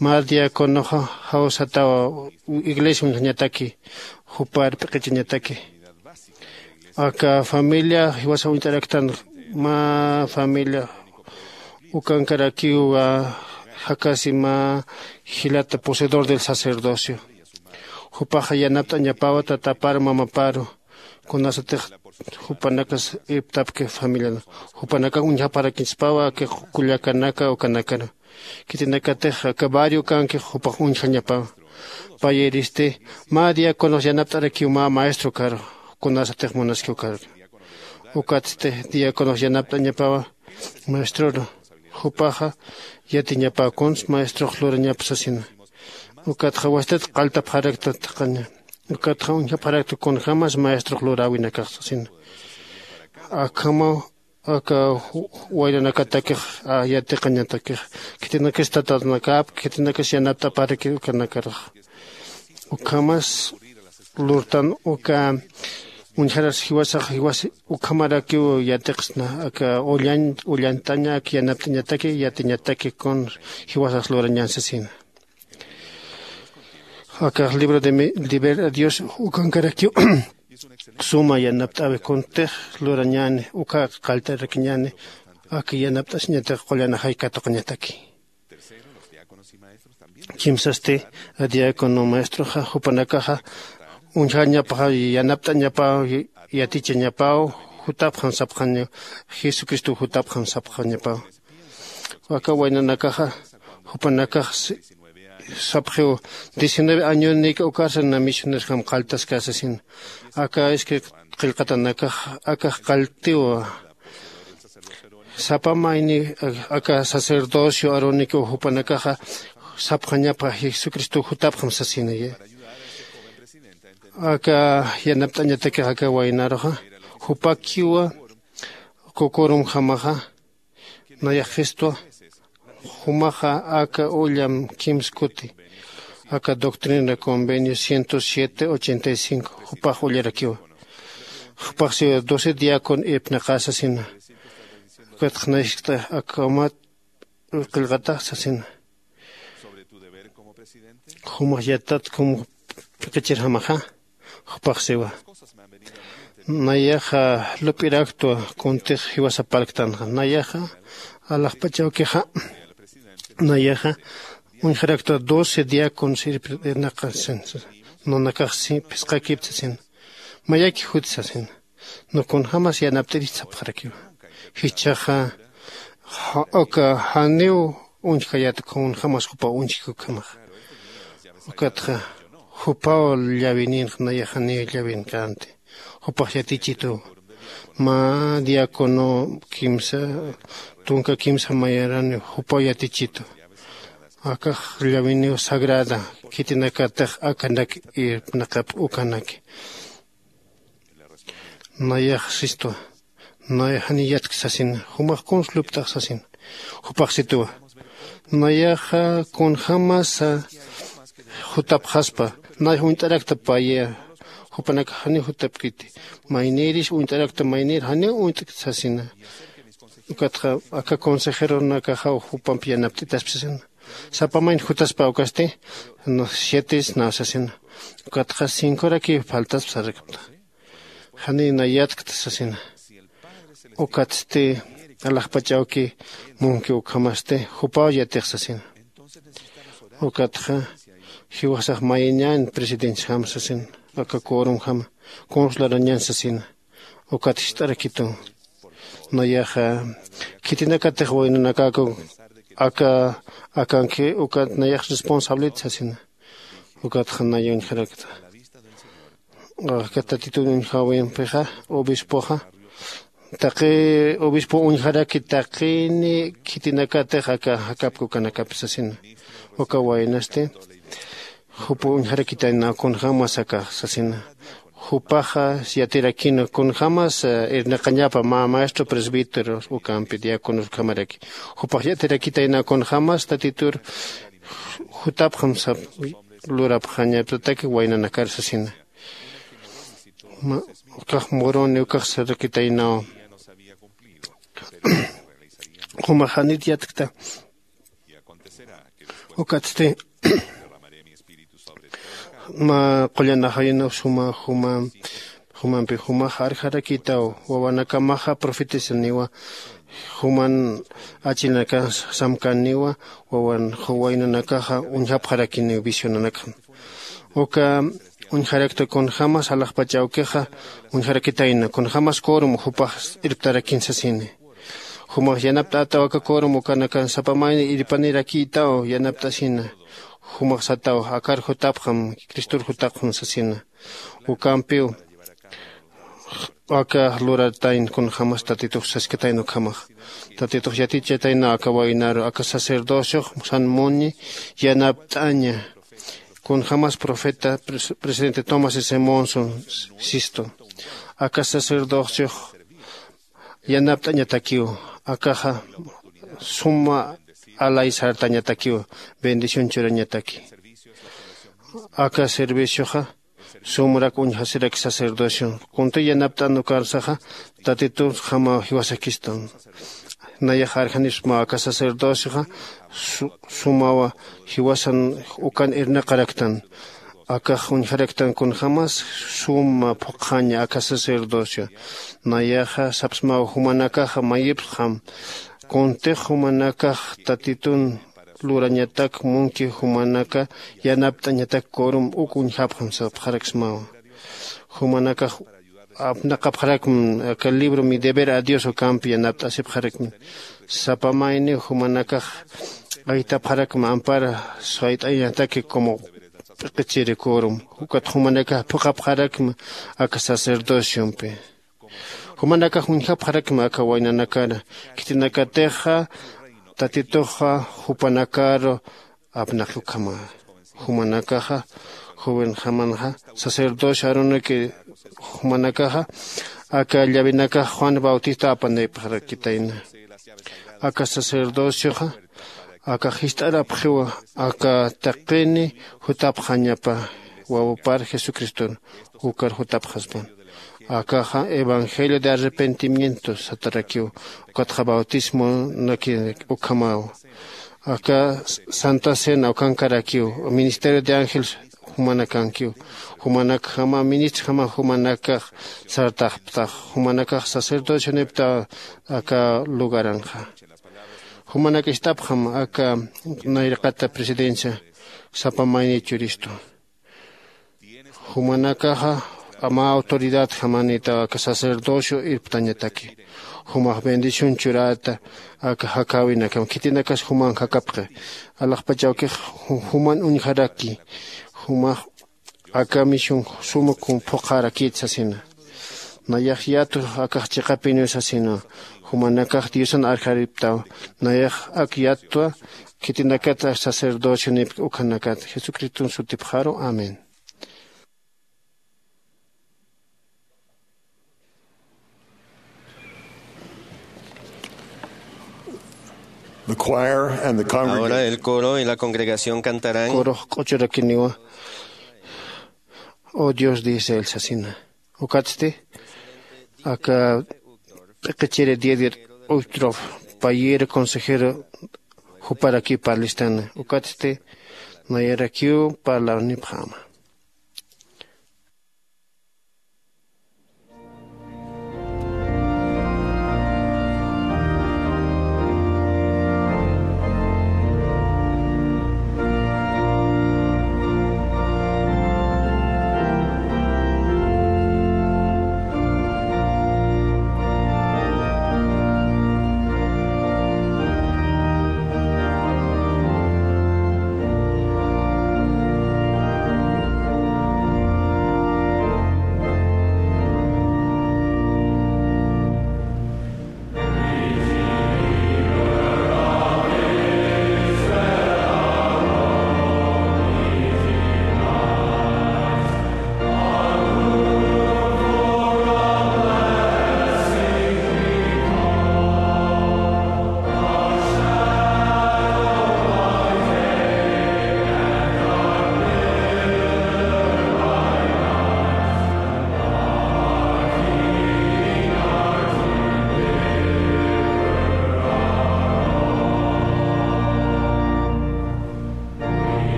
Mä diaconoxa jawsatawa iglesia uñjañataki jupar p'iqichañataki. Aka familia jiwasa uñt'araktan mä familia ukankarakiw jakasi mä jilata poseedor del sacerdocio. Jupaxa yanapt'añapawa tataparu mamaparu kunasatix jupanakas irptapki familiana. Jupanakax uñjapxarakiñchaspawa aka kullakanaka ukanakaru. Khitinakatix aka barrio ukankix jupax uñjañapawa. Payiristi mä diaconox yanapt'arakiw mä maestro ukaru kunasatix munaskiw ukaru. Ukatsti diaconox yanapt'añapawa maestroru. Jupaxa yatiñapäw kuns maestrox lurañap sasina. Ukatxa wastat qalltapxarakta thaqhaña. Ukatxa uñjapxarakta kunjämas maestrox luräwinakax sasina. Akhamaw aka waynanakatakix yatiqañatakix khitinakas tatanakap khitinakas yanapt'aparakir ukanakarax. Ukhamas lurtan uka uñjaras jiwasax jiwas ukhamarakiw yatiqsna aka ullañ ullañtaña aka yanapt'añataki yatiñataki kun jiwasax lurañän sasina. Akax libro de deber a dios ukankarakiw suma yanapt'äwi kuntix lurañäni uka qallt'arakiñäni aka yanapt'asiñatix qullan ajay katuqañataki. Kimsasti diácono maestroxa jupanakaxa uñjañapaxa yanapt'añapaw yatichañapaw jutapxam sapxañaw jesucristow jutapxam sapxañapaw. Aka waynanakaxa jupanakax sapxiw diecinueve añonik ukarsa na misionerjam qalltaskasasina. Aka iskay qillqatanakax akax qalltiw sapa mayni aka sacerdocio aronikiw jupanakaxa sapxañapxa jesucristow jutapxam sasinayi. Aka yanapt'añatakix aka waynaruxa jupakiwa kukurumjamaxa nayaxistwa jumaxa aka ullam kimskuti aka doctrina convenio ciento siete ochenta y cinco jupax ullarakiwa. Jupaxsiwa doce diacon irpnaqasasina. Ukatxnayxta aka umat qillqatax sasina. Jumax yatat kum p'iqichirjamaxa jupaxsiwa nayaxa lup'iraktwa kuntix jiwasapalktanxa nayaxa alaxpachawkixa nayaxa uñjaraktwa doce diacon sirpinaqasin. Nanakax phisqakipta sasina mayaki juti sasina. Nukunjamas yanapt'irist sapxarakiwa. Jichhaxa uka janiw uñjkayät kunjamas jupaw uñjki ukhamaxa. Ukatxa jupaw llawinïnxa nayax janiw llawinqänti. Jupax yatichituw mä diácono kimsa tunka kimsa mayarani jupaw yatichitu. Akax llawiniw sagrada khitinakatix akanak irpnaqap ukanaki. Nayax sistwa nayax jani yatk sasin jumax kuns lupt'ax sasin. Jupax situwa nayaxa kunjämasa jutapxaspa nayax uñt'arakta paya jupanakax janiw jutapkiti. Maynïris uñt'arakta maynïr janiw uñt'kta sasina. Ukatxa aka consejeronakaxaw jupamp yanapt'itaspa sasina. Sapamayn jutaspa ukasti, no, siete na sasina. Ukatxa cincoraki faltaspa sarakta. Janina yatkta sasina. Ukatsti alaxpachawki munki ukhamasti jupaw yatix sasina. Ukatxa jiwasax mayiñan presidenciajam sasina, aka quorumjama consularañan sasina. Ukat jist'arakitu. Nayaxa khitinakatix waynanakaku aka akanki ukat nayax responsablit sasina. Ukatxa naya uñjarakta. Aka tatitun uñjawimpixa obispoxa taqi obispo uñjaraki taqini khitinakatix aka jakapki ukanakapis sasina. Uka waynasti jupa uñjarakitayna kunjämas aka sasina. Jupaxa yatirakina kunjämas irnaqañapa mä maestro presbítero ukampi diáconos ukhamaraki. Jupax yatirakitayna kunjämas tatitur jutapxam sap lurapxañapataki waynanakar sasina. Ukax muruni ukax sarakitaynaw. Jumax janit yatkta. Ukatsti mä qullanaxayuna suma juma jumampi jumax arjarakitaw. Wawanakamaxa profetisaniwa. Juman achinaka samkaniwa. Wawan waynanakaxa uñjapxarakiniw visionanakxa. Uka uñjarakta kunjämas alaxpach awkixa uñjarakitayna kunjämas quorum jupax irptarakin sasini. Jumax yanapt'ataw aka quorum ukanakan sapa mayni irpanirakïtaw yanapt'asina. Jumax sataw akar jutapxam cristor jutapxam sasina. Ukampiw aka luratayn kunjämas tatitux saskatayn ukhamax. Tatitux yatichataynä aka waynaru aka sacerdociox san muni yanapt'aña. Kunjämas profeta presidente tomás s monson sistu aka sacerdociox yanapt'añatakiw. Akaxa suma alay sartañatakiw bendición churañataki. Aka servicioxa sumrak uñjasirak sacerdocio kunti yanapt'an ukarsaxa tatitun jama jiwasakistan. Nayax arjanipsma aka sacerdocioxa sumawa jiwasan ukan irnaqaraktan. Akax uñjaraktan kunjämas suma phuqhaña aka sacerdocio. Nayaxa sapsmaw jumanakaxa mayipxam kuntix jumanakax tatitun lurañatak munki jumanaka yanapt'añatak quorum uk uñjapxam sapxaraksmawa. Jumanakax apnaqapxarakm aka libro mi deber a dios ukampi yanapt'asipxarakmi. Sapa mayniw jumanakax aytapxarakm ampara sayt'añataki como p'iqichiri quorum. Ukat jumanakax phuqhapxarakm aka sacerdociompi. Jumanakax uñjapxarakma aka waynanakara khitinakatixa tatituxa jupanakaru apnaqi ukhama. Jumanakaxa jovenjamanxa sacerdocio arunaki jumanakaxa aka llavinakax juan bautista apanipxarakitayna. Aka sacerdocioxa aka jist'arapxiwa aka taqini jutapxañapa wawapar jesucriston ukar jutapxaspan. Akaxa evangelio de arrepentimiento satarakiw. Ukatxa bautismonaki ukhamaw. Aka santa cena ukankarakiw ministerio de ángel jumanakankiw. Jumanakjama ministrjama jumanakax sartaxptax jumanakax sacerdocionipta aka lugaranxa. Jumanak ist'apxam aka nayraqata presidencia sapa mayni churistu. Jumanakaxa mä autoridad jamanita aka sacerdocio irptañataki. Jumax bendición churata aka jakäwinakam khitinakas juman jakapxi. Alaxpach awkix juman uñjaraki. Jumax aka misión suma phuqharakït sasina. Nayax yatwa akax chiqapiniw sasina. Jumanakax diosan arjariptaw. Nayax ak yatwa khitinakat sacerdocionipki ukhanakat jesucriston sutipxaru amén. The choir and the congregation. Ahora el coro y la congregación cantarán. Corox q'uchurakiniwa. Oh dios de israel sasina. Ukatsti aka p'iqichiri diedir utrof payir consejero Juparaki parlistana ukatsti nayarakiw parlarnipxama.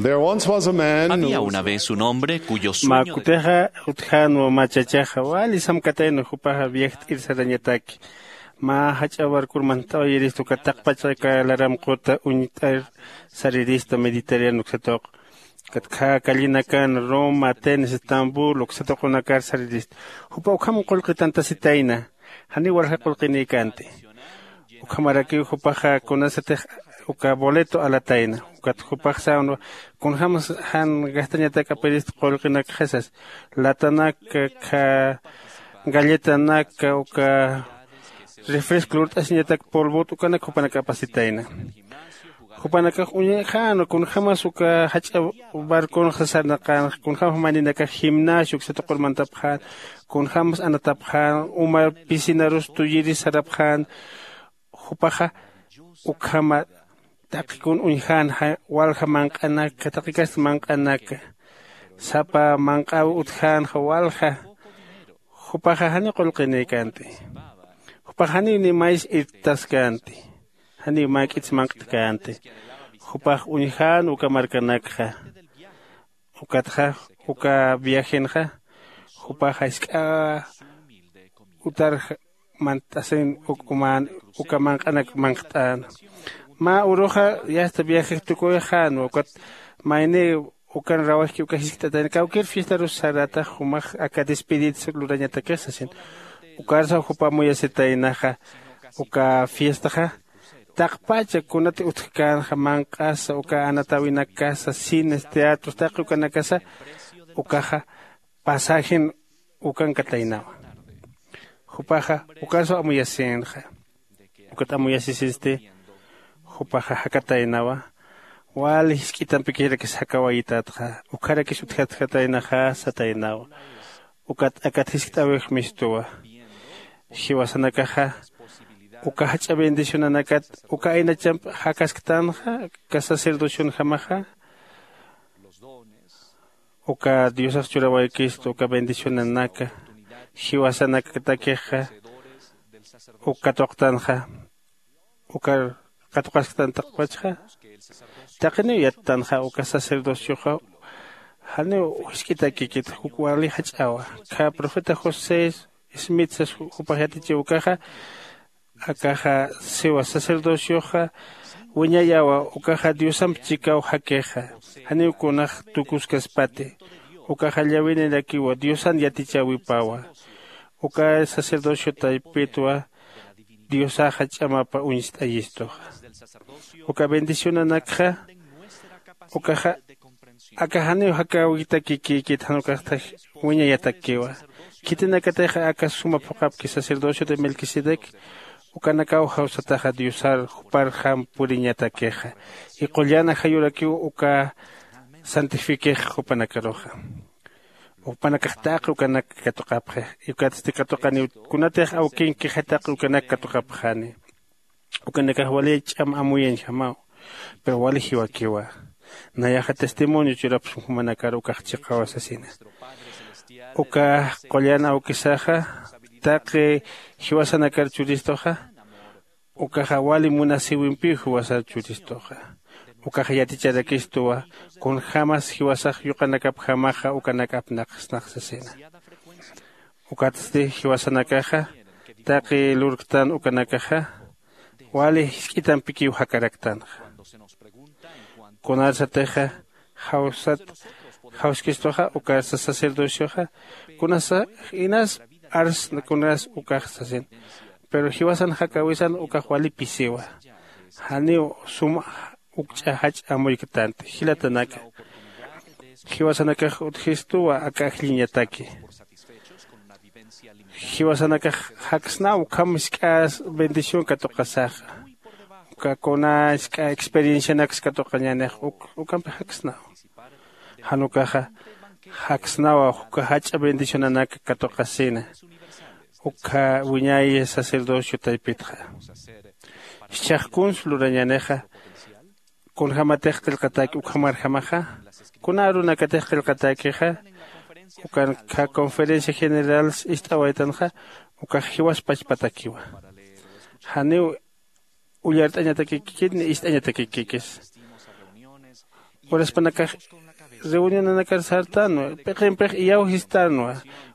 There once was a man who Había una vez un hombre cuyo sueño de Mä kutixa utjänwa mä chachaxa wali samkatayna, jupaxa viajt'ir sarañataki. Mä jach'a barcor mantawayirista uka taqpach aka laram quta uñt'ir sarirista Mediterráneo uksatuq. Ukat khä callinakan Roma, Atenas, Estambul uksatuqunakar sarirista. Jupa ukham qullqitantasitayna. Janiw walja qullqinïkänti. Ukhamarakiw jupaxa kunasatix uka boleto alatayna. Ukat jupax sänwa kunjämsa jan gastañatak apirista qullqinakxa sas. Latanaka, khä galletanaka, uka refresco lurt'asiñatak polvot ukanak jupanak apasitayna. Jupanakax uñjänwa kunjämas uka jach'a barconxa sarnaqänxa, kunjämas mayninakax gimnasio uksatuqur mantapxän, kunjämas anatapxän, uma piscinarus tuyiris sarapxän. Jupaxa ukhama taqikun uñjänxa walja manq'anaka, taqikasti manq'anaka, sapa manq'äw utjänxa walja. Jupaxa janiw qullqinïkänti. Jupaxa janiw ni mays irtaskänti. Janiw mäk'its manq'tkänti. Jupax uñjän uka markanakxa. Ukatxa uka viajenxa jupaxa jisk'a utar mant'asin uk uman uka manq'anak manqt'äna. Mä uruxa yasta viajex tukuyxänwa ukat mayni ukan rawajki uka jiskt'atayna kawkir fiestarus saratax jumax aka despedidsa lurañatakix sasin. Ukarsaw jupa amuyasitaynaxa uka fiestaxa taqpacha kunati utjkänxa manq'asa uka anatäwinakasa cines teatros taqi ukanakasa ukaxa pasajen ukankataynawa. Jupaxa ukarsaw amuyasïnxa. Ukat amuyasisisti jupaxa jakataynawa. Wali jisk'itampikixrakis jakawayitatxa ukharakis utjatjataynaxa sataynawa. Ukat akat jiskt'äwix mistuwa. Jiwasanakaxa uka jach'a bendicionanakat uka aynachamp jakasktanxa uka sacerdocionjamaxa. Uka diosax churawaykistu uka bendicionanaka jiwasanakatakixa uk katuqtanxa. Ukar katuqasktan taqpachxa taqiniw yattanxa uka sacerdocioxa. Janiw jisk'itakikit uk wali jach'awa. Kha profeta josé smith sas jupax yatichiw ukaxa akaxa siwa sacerdocioxa wiñayawa ukaxa diosamp chikaw jakixa. Janiw kunax tukuskaspati ukaxa llawinirakiwa diosan yatichäwipawa. Uka sacerdocio taypitwa diosaxa ch'amapa uñst'ayistuxa. Uka bendicionanakxa ukaxa aka janiw jakäwitakikïkit jan ukaxtxa wiñayatakiwa. Khitinakatixa aka suma phuqhapki sacerdocio de melquisedec ukanakaw jawsataxa diosar juparjam puriñatakixa. Y qullan ajayurakiw uka santifikix jupanakaruxa. Jupanakax taqi ukanak katuqapxi. Ukatsti katuqaniw kunatix awkinkixay taqi ukanak katuqapxani. Ukanakax wali ch'am amuyañjamaw. Pero wali jiwakiwa. Nayaxa testimonio churapxsma jumanakar ukax chiqawa sasina. Uka qullan awkisaxa taqi jiwasanakar churistuxa ukaxa wali munasïwimpiw jiwasar churistuxa. Ukaxa yaticharakistuwa kunjämas jiwasax yuqanakapjamaxa ukanak apnaqsnax sasina. Ukatsti jiwasanakaxa taqi lurktan ukanakaxa wali jisk'itampikiw jakaraktanxa. Kunarsatixa jawsat jawskistuxa ukarsa sacerdocioxa kunasa inas arsna kunas ukax sasin. Pero jiwasan jakäwisan ukax wali pisiwa. Janiw sum ukch'a jach'a amuyktänti jilatanaka. Jiwasanakax utjistuwa aka ajlliñataki. Jiwasanakax jaksnaw ukham jisk'a bendición katuqasaxa. Uka kuna jisk'a experiencianaks katuqañänix ukampi jaksnaw. Jan ukaxa jaksnawa uka jach'a bendicionanak katuqasina. Uka wiñay sacerdocio taypitxa jichhax kuns lurañänixa. Kunjämatix qillqatäki ukhamarjamaxa kuna arunakatix qillqatäkixa ukan conferencia general ist'awaytanxa ukax jiwas pachpatakiwa. Janiw ullart'añatakikikit ni ist'añatakikikis. Uraspanakax reunionanakar sartänwa p'iqimpix iyawsistänwa.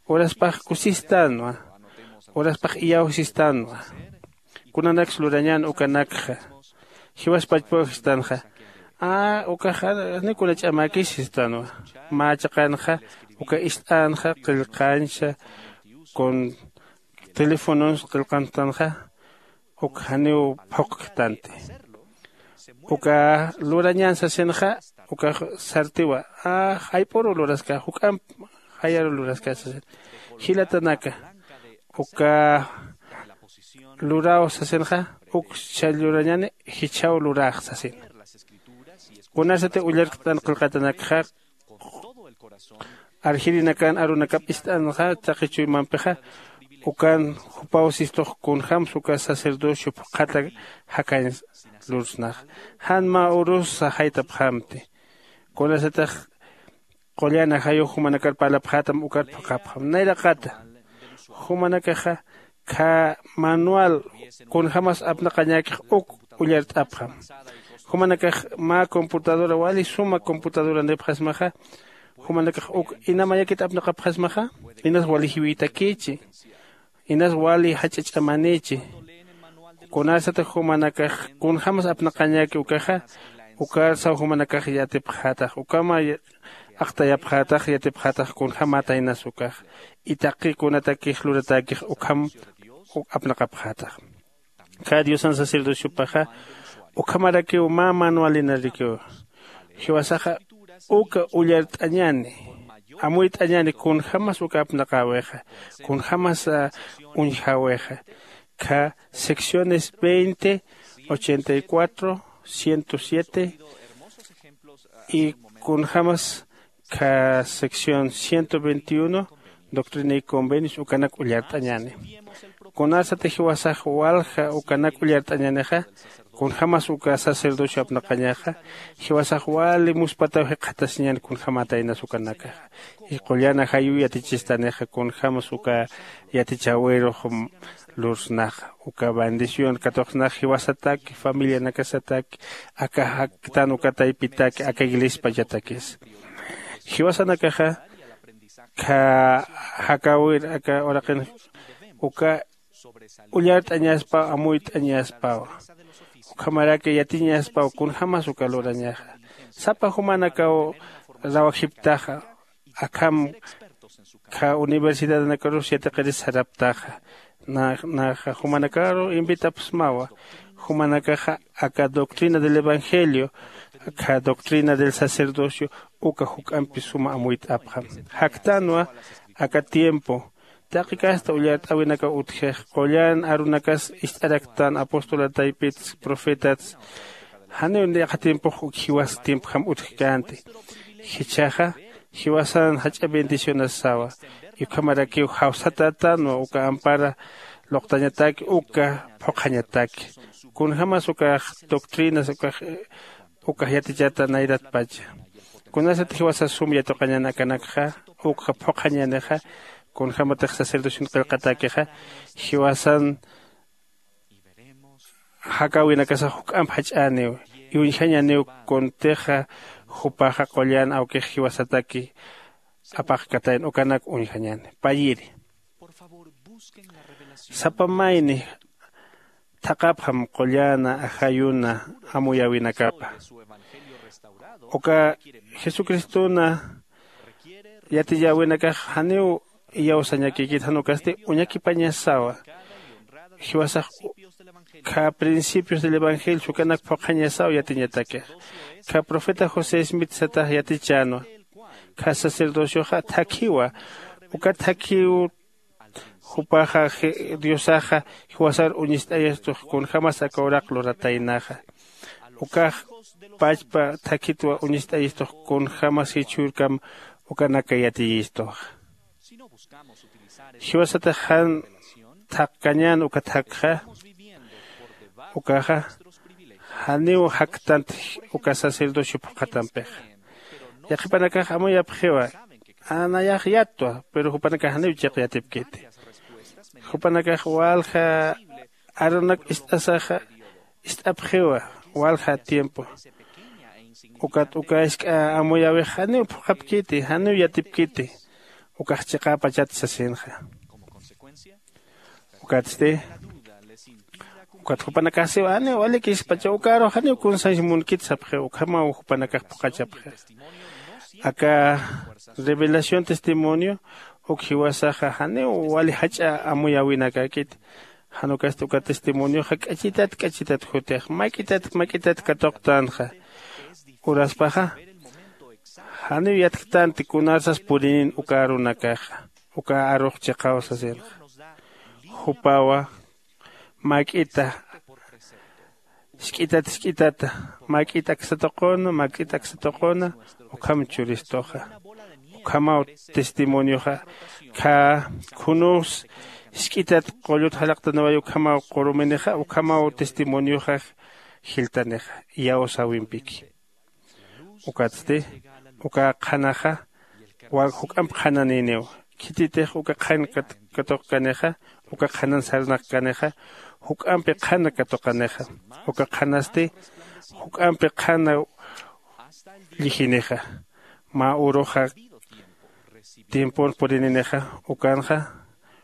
Uraspax kusistänwa. Uraspax iyawsistänwa. Kunanaks lurañän ukanakxa jiwas pachpawjistanxa. Ukaxa ni kuna ch'amäkis sistanwa. Mä chiqanxa uka ist'änxa qillqancha kun telefonons qillqantanxa uk janiw phuqktanti. Uka lurañän sasinxa ukax sartiwa. Jayp'uru luraska juk'amp jayaru luraska sasin. Jilatanaka uka luraw sasinxa uk chhall lurañäni jichhaw lurax sasin. Kunasati ullarktan qillqatanakxa arjirinakan arunakap ist'anxa taqi chuymampixa ukan jupaw sistux kunjämsa uka sacerdocio phuqhata jakañ lursnaxa. Jan mä urusa jaytapxamti. Kunasatix qullan ajayux jumanakar parlapxätam ukat phuqhapxam nayraqata. Jumanakaxa khä manual kunjämas apnaqañäkix uk ullart'apxam. Jumanakax mä computadora wali suma computadoranipxasmaxa jumanakax uk ina mayakit apnaqapxasmaxa inas wali jiwïtakïchi inas wali jach'a ch'amanïchi. Kunasatix jumanakax kunjämas apnaqañäki ukaxa ukarsaw jumanakax yatipxätax ukama aqtayapxätax yatipxätax kunjämätaynas ukax. Itaqi kunatakix luratäkix ukham apnaqapxätax. Kha diosan sacerdociopaxa ukhamarakiw mä manualinarikiw. Jiwasaxa uka ullart'añäni, amuyt'añäni kunjämas uka apnaqäwixa, kunjämas uñjäwixa. Kha secciones veinte, ochenta y cuatro, ciento siete, y kunjämas kha sección ciento veintiuno, doctrina y convenios ukanak ullart'añäni. Kunasati jiwasax walja ukanak ullart'añänixa, kunjämas uka sacerdocio apnaqañaxa, jiwasax wali muspataw jikxatasiñäni kunjämätaynas ukanakaxa. Y qullan ajayuw yatichistanixa kunjämas uka yatichäwirux lursnaxa, uka bendición katuqsnax jiwasataki familianakasataki, aka jaktan uka taypitaki aka iglesiapachatakis. Jiwasanakaxa kha jakäwir aka uraqin uka ullart'añaspaw amuyt'añaspawa. Ukhamaraki yatiñaspaw kunjämas uka lurañaxa. Sapa jumanakaw rawajiptaxa, akham kha universidadnakarus yatiqiris saraptaxa. Naxa jumanakaru invitapxsmawa. Jumanakaxa aka doctrina del evangelio, kha doctrina del sacerdocio uka juk'ampi suma amuyt'apxam. Jaktänwa aka tiempo taqi kasta ullart'äwinakaw utjix, qullan arunakas ist'araktan apostol ataypits profetats. Janiw yaqha tiempox uk jiwas tiempjam utjkänti. Jichhaxa jiwasan jach'a bendicionasawa. Ukhamarakiw jawsatätänwa uka ampara luqtañataki uka phuqhañataki. Kunjämas ukax doctrinas ukax ukax yatichata nayratpacha. Kunasat jiwasa sum yatuqañän akanakxa, ukxa phuqhañänixa, kunjämatix sacerdocion qillqatäkixa jiwasan jakäwinakasax juk'amp jach'äniw, uñjañäniw kuntixa jupaxa qullan awkix jiwasataki apaqkatayn ukanak uñjañäni. Payiri sapa mayni thaqhapxam qulläna ajayuna amuyäwinakapa. Uka jesucristona yatiyäwinakax janiw iyawsañakïkit, jan ukasti uñakipañasawa. Jiwasax kha principios del evangelio ukanak phuqhañasaw yatiñatakix. Kha profeta josé smith satax yatichänwa, kha sacerdocioxa thakhiwa. Uka thakhiw jupaxa diosaxa jiwasar uñist'ayistux kunjämas aka uraq lurataynaxa. Ukax pachpa thakhitwa uñist'ayistux kunjämas jichhürkam ukanaka yatiyistuxa. Jiwasatax jan thaqkañän uka thakxa, ukaxa janiw jaktant uka sacerdocio phuqhatampixa. Yaqhipanakax amuyapxiwa, nayax yattwa pero jupanakax janiw chiq yatipkiti. Jupanakax walja arunak ist'asaxa ist'apxiwa, walja tiempo. Ukat uka jisk'a amuyäwix janiw phuqhapkiti, janiw yatipkiti. Ukax chiqäpachat sasinxa. Ukatsti ukat jupanakax siwa janiw walikispacha ukarux janiw kunsañs munkit sapxiw, ukhamaw jupanakax phuqhachapxi. Aka revelación testimonio uk jiwasaxa janiw wali jach'a amuyäwinakäkiti. Jan ukasti uka testimonioxa k'achitat k'achitat jutix, mak'itat mak'itat katuqtänxa. Uraspaxa janiw yatktanti kunarsas purinin uka arunakaxa. Uka arux chiqaw sasinxa. Jupawa mak'ita jisk'itat jisk'itata, mak'it aksa tuquna mak'it aksa tuquna, ukham churistuxa. Ukhamaw testimonioxa. Kha khunus jisk'itat qullut jalaqtaniway ukhamaw quruminixa, ukhamaw testimonioxa jiltanixa iyawsäwimpiki. Ukatsti uka qhanaxa wak juk'amp qhananïniw. Khititix uka qhan katuqkanixa, uka qhanan sarnaqkanixa juk'ampi qhana katuqanixa. Uka qhanasti juk'ampi qhana llijinixa. Mä uruxa tiempon purininixa ukanxa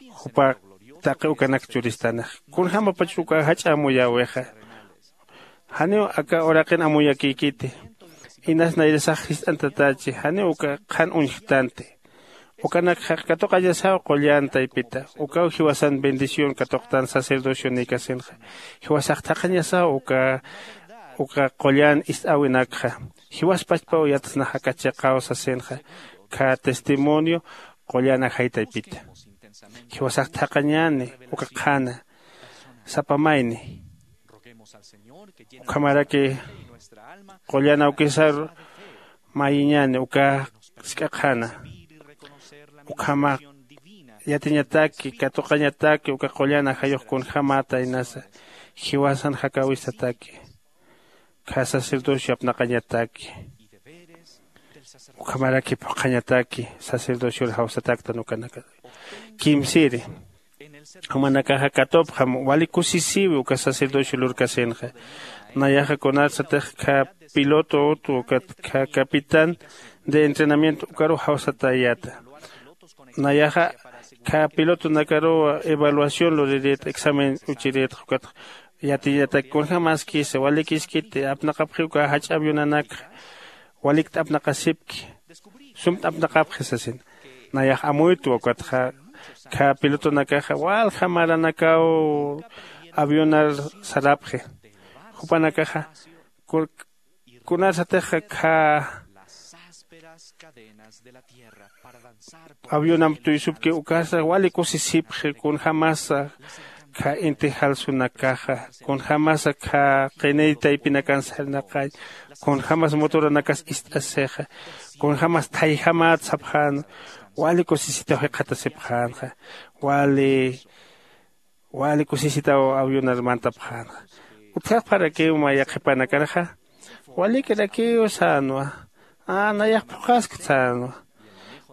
jupa taqi ukanak churistanixa. Kunjämapach uka jach'a amuyäwixa. Janiw aka uraqin amuyakïkiti. Inas nayrasax jist'antatachi, janiw uka qhan uñjktanti. Ukanakxa katuqañasaw qullan taypita, ukaw jiwasan bendición katuqtan sacerdocionïkasinxa. Jiwasax thaqhañasaw uka uka qullan ist'äwinakxa. Jiwas pachpaw yatsnax aka chiqaw sasinxa. Kha testimonio qullan ajay taypita. Jiwasax thaqhañäni uka qhana sapa mayni. Ukhamaraki qullan awkisar mayiñäni uka sk'a qhana. Ukhama yatiñataki katuqañataki uka qullan ajayux kunjämäta inasa jiwasan jakäwistataki. Kha sacerdocio apnaqañataki ukhamaraki phuqhañataki sacerdocior jawsataktan ukanaka. Kimsiri, jumanakaxa katupxam wali kusisiwi uka sacerdocio lurkasinxa. Nayaxa kunarsatix kha piloto utu ukat kha capitán de entrenamiento ukaruw jawsatayäta. Nayaxa kha pilotonakaruw evaluación lurirït examen uchirïtxa ukat yatiñatak kunjämaskisa walikiskiti apnaqapxiw uka jach'a avionanakxa. Walikt apnaqasipki. Sumt apnaqapxi sasin. Nayax amuytwa ukatxa kha pilotonakaxa walja maranakaw avionar sarapxi. Jupanakaxa kunarsatixa kha avionamp tuysupki ukasa wali kusisipxi kunjämasa kha inti jalsunakaxa kunjämasa kha qiniy taypinakan sarnaqañ kunjämas motoranakas ist'asixa kunjämas thayjamät sapxän. Wali kusisitaw jikxatasipxänxa. Wali wali kusisitaw avionar mantapxänxa. Utjaxparakiw mä yaqhipanakarxa walikirakiw sänwa. Nayax phuqhaskta sänwa.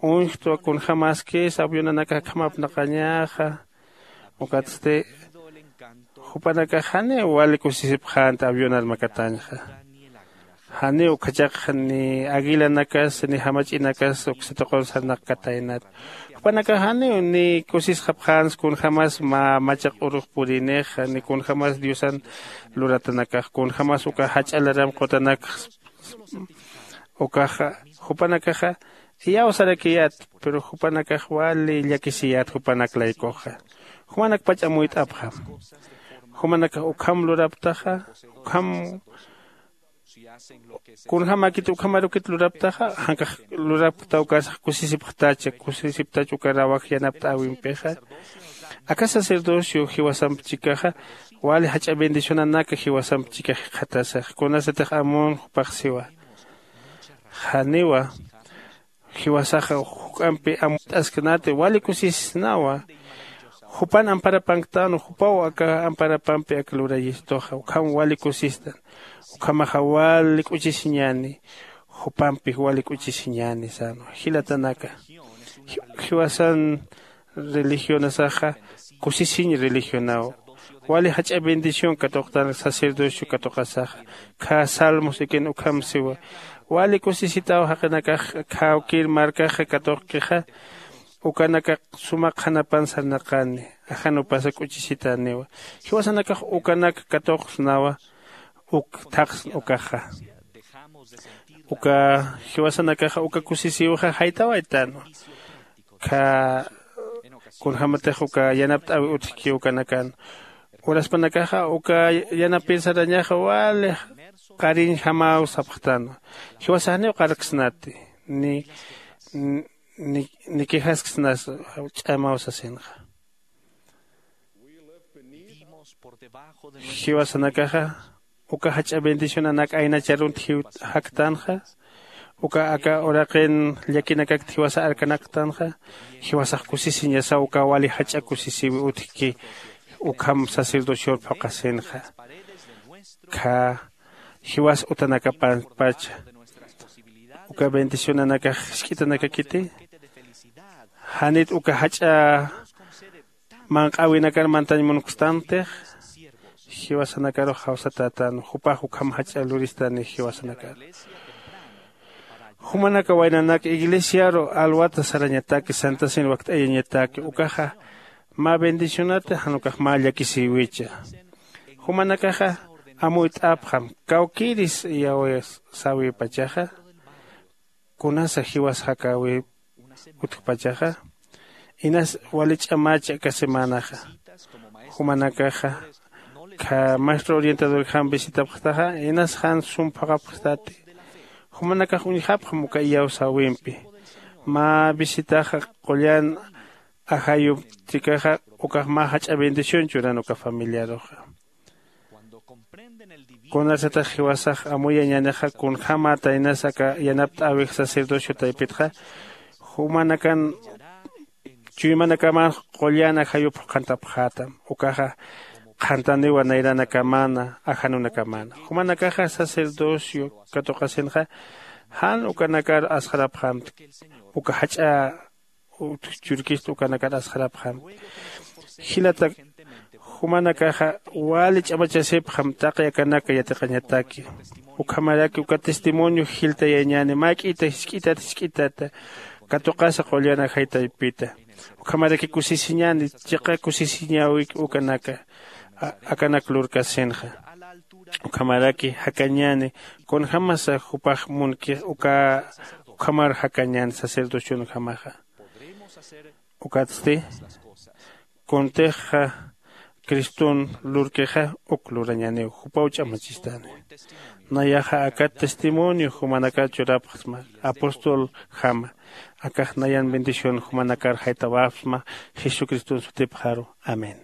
Uñjtwa kunjämaskis avionanakax akham apnaqañäxa. Ukatsti jupanakax janiw wali kusisipxänti avionar makatañxa. Janiw ukhachakxa ni aguilanakas ni jamach'inakas uksituqun sarnaqkataynat. Jupanakax janiw ni kusisxapxänsa kunjämas mä machaq urux purinixa ni kunjämas diosan luratanakax kunjämas uka jach'a laram qutanakx. Ukaxa jupanakaxa iyawsarakiyät. Pero jupanakax wali llakisiyät jupanak laykuxa. Jumanakpach amuyt'apxam. Jumanakax ukham luraptaxa ukham kunjämäkit ukhamarukit luraptaxa jankax lurapkta ukarsax kusisipxtacha kusisiptach uka rawaj yanapt'äwimpixa. Aka sacerdocio jiwasamp chikaxa wali jach'a bendicionanaka jiwasamp chikax jikxatasax kunasatix amun jupax siwa. Janiwa jiwasaxa juk'ampi amuyt'asknati wali kusisisnawa. Jupan amparapanktänwa jupaw aka amparapampi aka lurayistuxa ukham wali kusistan. Ukhamaxa wali k'uchisiñäni. Jupampi wali k'uchisiñäni sänwa jilatanaka. Jiwasan religionasaxa kusisiñ religionaw. Wali jach'a bendición katuqtan sacerdocio katuqasaxa. Kha salmos ikin ukham siwa. Wali kusisitaw jaqinakax khawkir markaxa katuqkixa. Ukanakax suma qhanapan sarnaqani. Ajanupasa k'uchisitäniwa. Jiwasanakax ukanak katuqsnawa. Uk thaqsn ukaxa. Uka jiwasanakaxa uka kusisiwxa jaytawaytänwa. Kha kunjämatix uka yanapt'äwi utjki ukanakan. Uraspanakaxa uka yanapir sarañaxa wali qariñjamaw sapxtänwa. Jiwasax janiw qarksnati ni ni quejasksnas ch'amaw sasinxa. Jiwasanakaxa uka jach'a bendicionanak aynacharunt jiw jaktänxa. Uka aka uraqin llakinakakt jiwasa arkanaktanxa. Jiwasax kusisiñasaw uka wali jach'a kusisiwi utjki ukham sacerdocior phuqhasinxa. Kha jiwas utanakapampacha uka bendicionanakax jisk'itanakakiti. Janit uka jach'a manq'äwinakar mantañ munktantix. Jiwasanakarux jawsatätän jupax ukham jach'a luristani jiwasanakar. Jumanaka waynanak iglesiaru alwata sarañataki santasin wakt'ayañataki ukaxa mä bendicionata jan ukax mä llakisïwicha. Jumanakaxa amuyt'apxam kawkïris iyawsawipachaxa, kunasa jiwas jakäwi utjpachaxa, inas wali ch'amach aka semanaxa jumanakaxa kha maestro orientadorjam visitapxtaxa, inas jan sum phaqapxtati. Jumanakax uñjapxam uka iyawsäwimpi. Mä visitaxa qullan ajayuptikaxa, ukax mä jach'a bendición churan uka familiaruxa. Kunasatax jiwasax amuyañänixa kunjämäta inas aka yanapt'äwix sacerdocio taypitxa, jumanakan chuymanakamanx qullan ajayup qhantapxätam. Ukaxa qhantaniwa nayranakamäna ajanunakamana. Jumanakaxa sacerdocio katuqasinxa jan ukanakar asxarapxämtki. Uka jach'a churkista ukanakar asxarapxämtki. Jilata, jumanakaxa wali ch'amachasipxam taqi akanaka yatiqañataki. Ukhamaraki uka testimonio jiltayañäni mä k'ita jisk'itat jisk'itata katuqasa qullan ajay taypita. Ukhamaraki kusisiñäni, chiqa kusisiñäwik ukanaka akanak lurkasinxa. Ukhamaraki jakañäni kunjämasa jupax munkix uka ukhamar jakañäni sacerdocionjamaxa. Ukatsti kuntixa criston lurkixa uk lurañäniw jupaw ch'amachistani. Nayaxa akat testimonio jumanakar churapxsma apostoljama. Akax nayan bendición jumanakar jaytawapxsma jesucriston sutipxaru. Amén.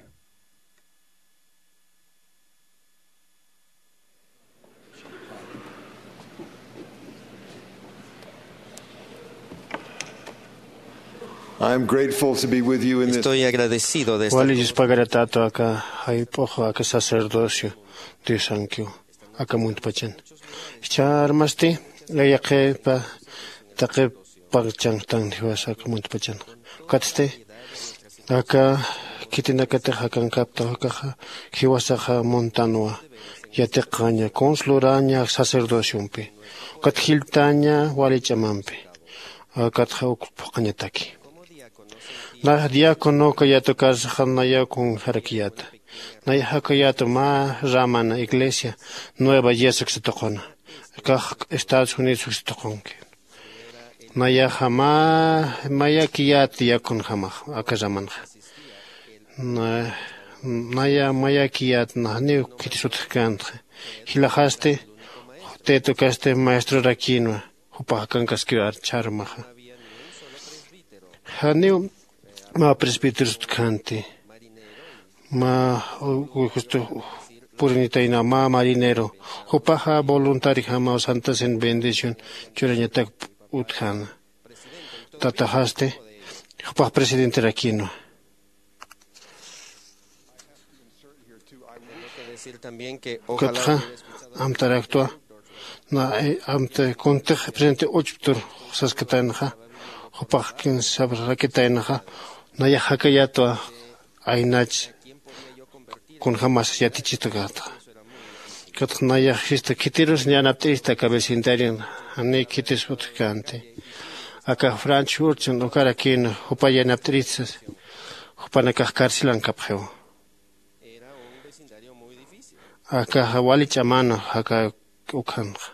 I'm grateful to be with you in this. Estoy agradecido de estar. Wali yuspagaratato aka jayp'uxu aka sacerdocio diosankiw aka muntpachan. Ichharmasti layaqipa taqi pagchanktan jiwasa aka muntpachan. Ukatsti aka khitinakatix akankapta ukaxa jiwasaxa muntanwa yatiqaña kuns luraña sacerdociompi. Ukat jiltaña wali ch'amampi. Ukatxa uk phuqañataki. Nax diácono kayatukarsaxa nayaw kunjarakiyata. Nayax jakayata mä ramana iglesia nueva yesa uksatuquna. Kax estados unidos uksatuqunki. Nayaxa mä mayakiyat diáconojamax aka ramanxa. Naya mayakiyat najniw khitis utjkänti. Jilaxasti tetukasti maestrorakinwa. Jupax akankaskiw archharmaxa. Janiw mä presbíteros utjkänti. Mä justu purinitayna mä marinero. Jupaxa voluntarijamaw santasin bendición churañatak utjäna. Tataxasti jupax presidenterakinwa. Ukatxa amtaraktwa na amta kuntix presidente uchptur saskataynaxa. Jupax kin sabrakitaynaxa. Nayax jakayatwa aynach kunjämas yatichitukatxa. Ukatxa nayax jista khitirus yanapt'irista aka vecindario janiy khitis utjkänti. Aka franch urchan ukarakïna jupa yanapt'irista. Jupanakax carcelankapxiw. Akaxa wali ch'amana jaka ukhanxa.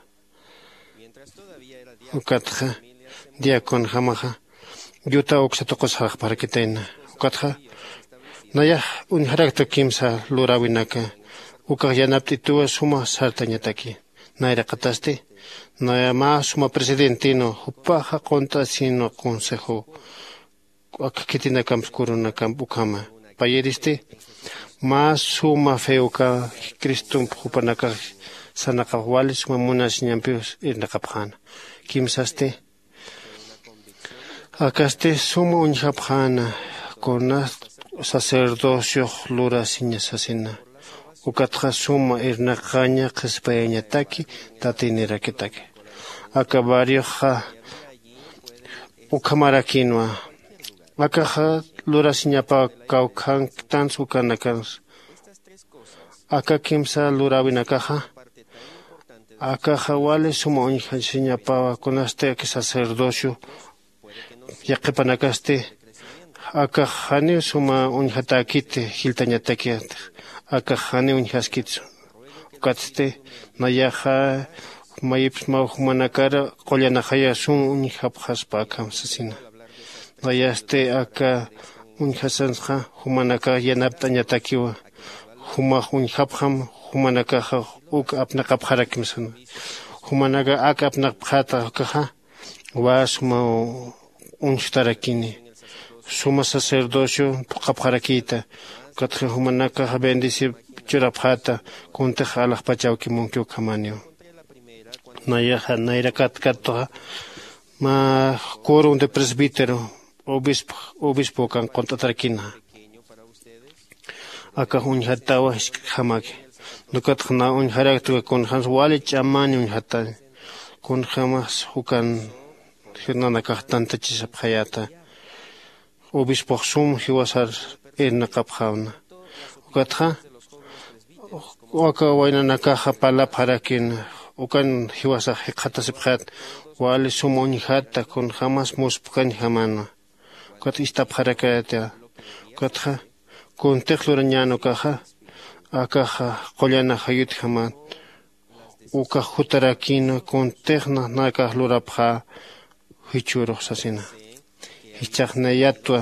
Ukatxa diaconojamaxa yuta uksa tuqus jarxparakitayna. Ukatxa nayax uñjarakta kimsa luräwinaka. Ukax yanapt'ituwa suma sartañataki. Nayraqatasti naya mä suma presidentinwa jupaxa qunt'asinwa consejo. Aka khitinakamps kurunakamp ukhama payiristi mä suma fe uka cristomp jupanakax sarnaqapx wali suma munasiñampiw irnaqapxäna. Kimsasti akasti suma uñjapxäna kuna sacerdociox lurasiña sasina. Ukatxa suma irnaqaña qhispiyañataki tatinirakitaki. Aka barrioxa ukhamarakinwa. Akaxa lurasiñapaw kawkhanktans ukanakans. Aka kimsa luräwinakaxa akaxa wali suma uñjasiñapawa kunasti aka sacerdocio. Yaqhipanakasti akax janiw suma uñjatäkiti jiltañatakit. Akax janiw uñjaskit. Ukatsti nayaxa mayipsmaw jumanakar qullanakaya sum uñjapxaspa akham sasina. Nayasti aka uñjasansxa jumanakax yanapt'añatakiwa. Jumax uñjapxam jumanakaxa uk apnaqapxarakim sana. Jumanaka ak apnaqapxäta ukaxa wä suma uñstarakini. Suma sacerdocio phuqhapxarakïta. Ukatxa jumanakaxa bendecip churapxäta kuntix alaxpachawki munki ukhamaniw. Nayaxa nayrakat katuxa mä quorum de presbítero obispo obispo kan qunt'atarakina. Akax uñjatawa jisk'jamaki. Nukatxa na uñjaraktuka kunjämsa wali ch'amani uñjatani. Kunjämas ukan nanakax tantachisapxayäta. Obispox sum jiwasar irnaqapxäwna. Ukatxa aka waynanakaxa parlapxarakïna. Ukan jiwasax jikxatasipxayät wali sum uñjäta kunjämas muspkañjamänwa. Ukat ist'apxarakayäta. Ukatxa kuntix lurañän ukaxa akaxa qullana jayutjamän. Ukax jutarakïnwa kuntix nanakax lurapxä jichhürux sasina. Jichhax nayatwa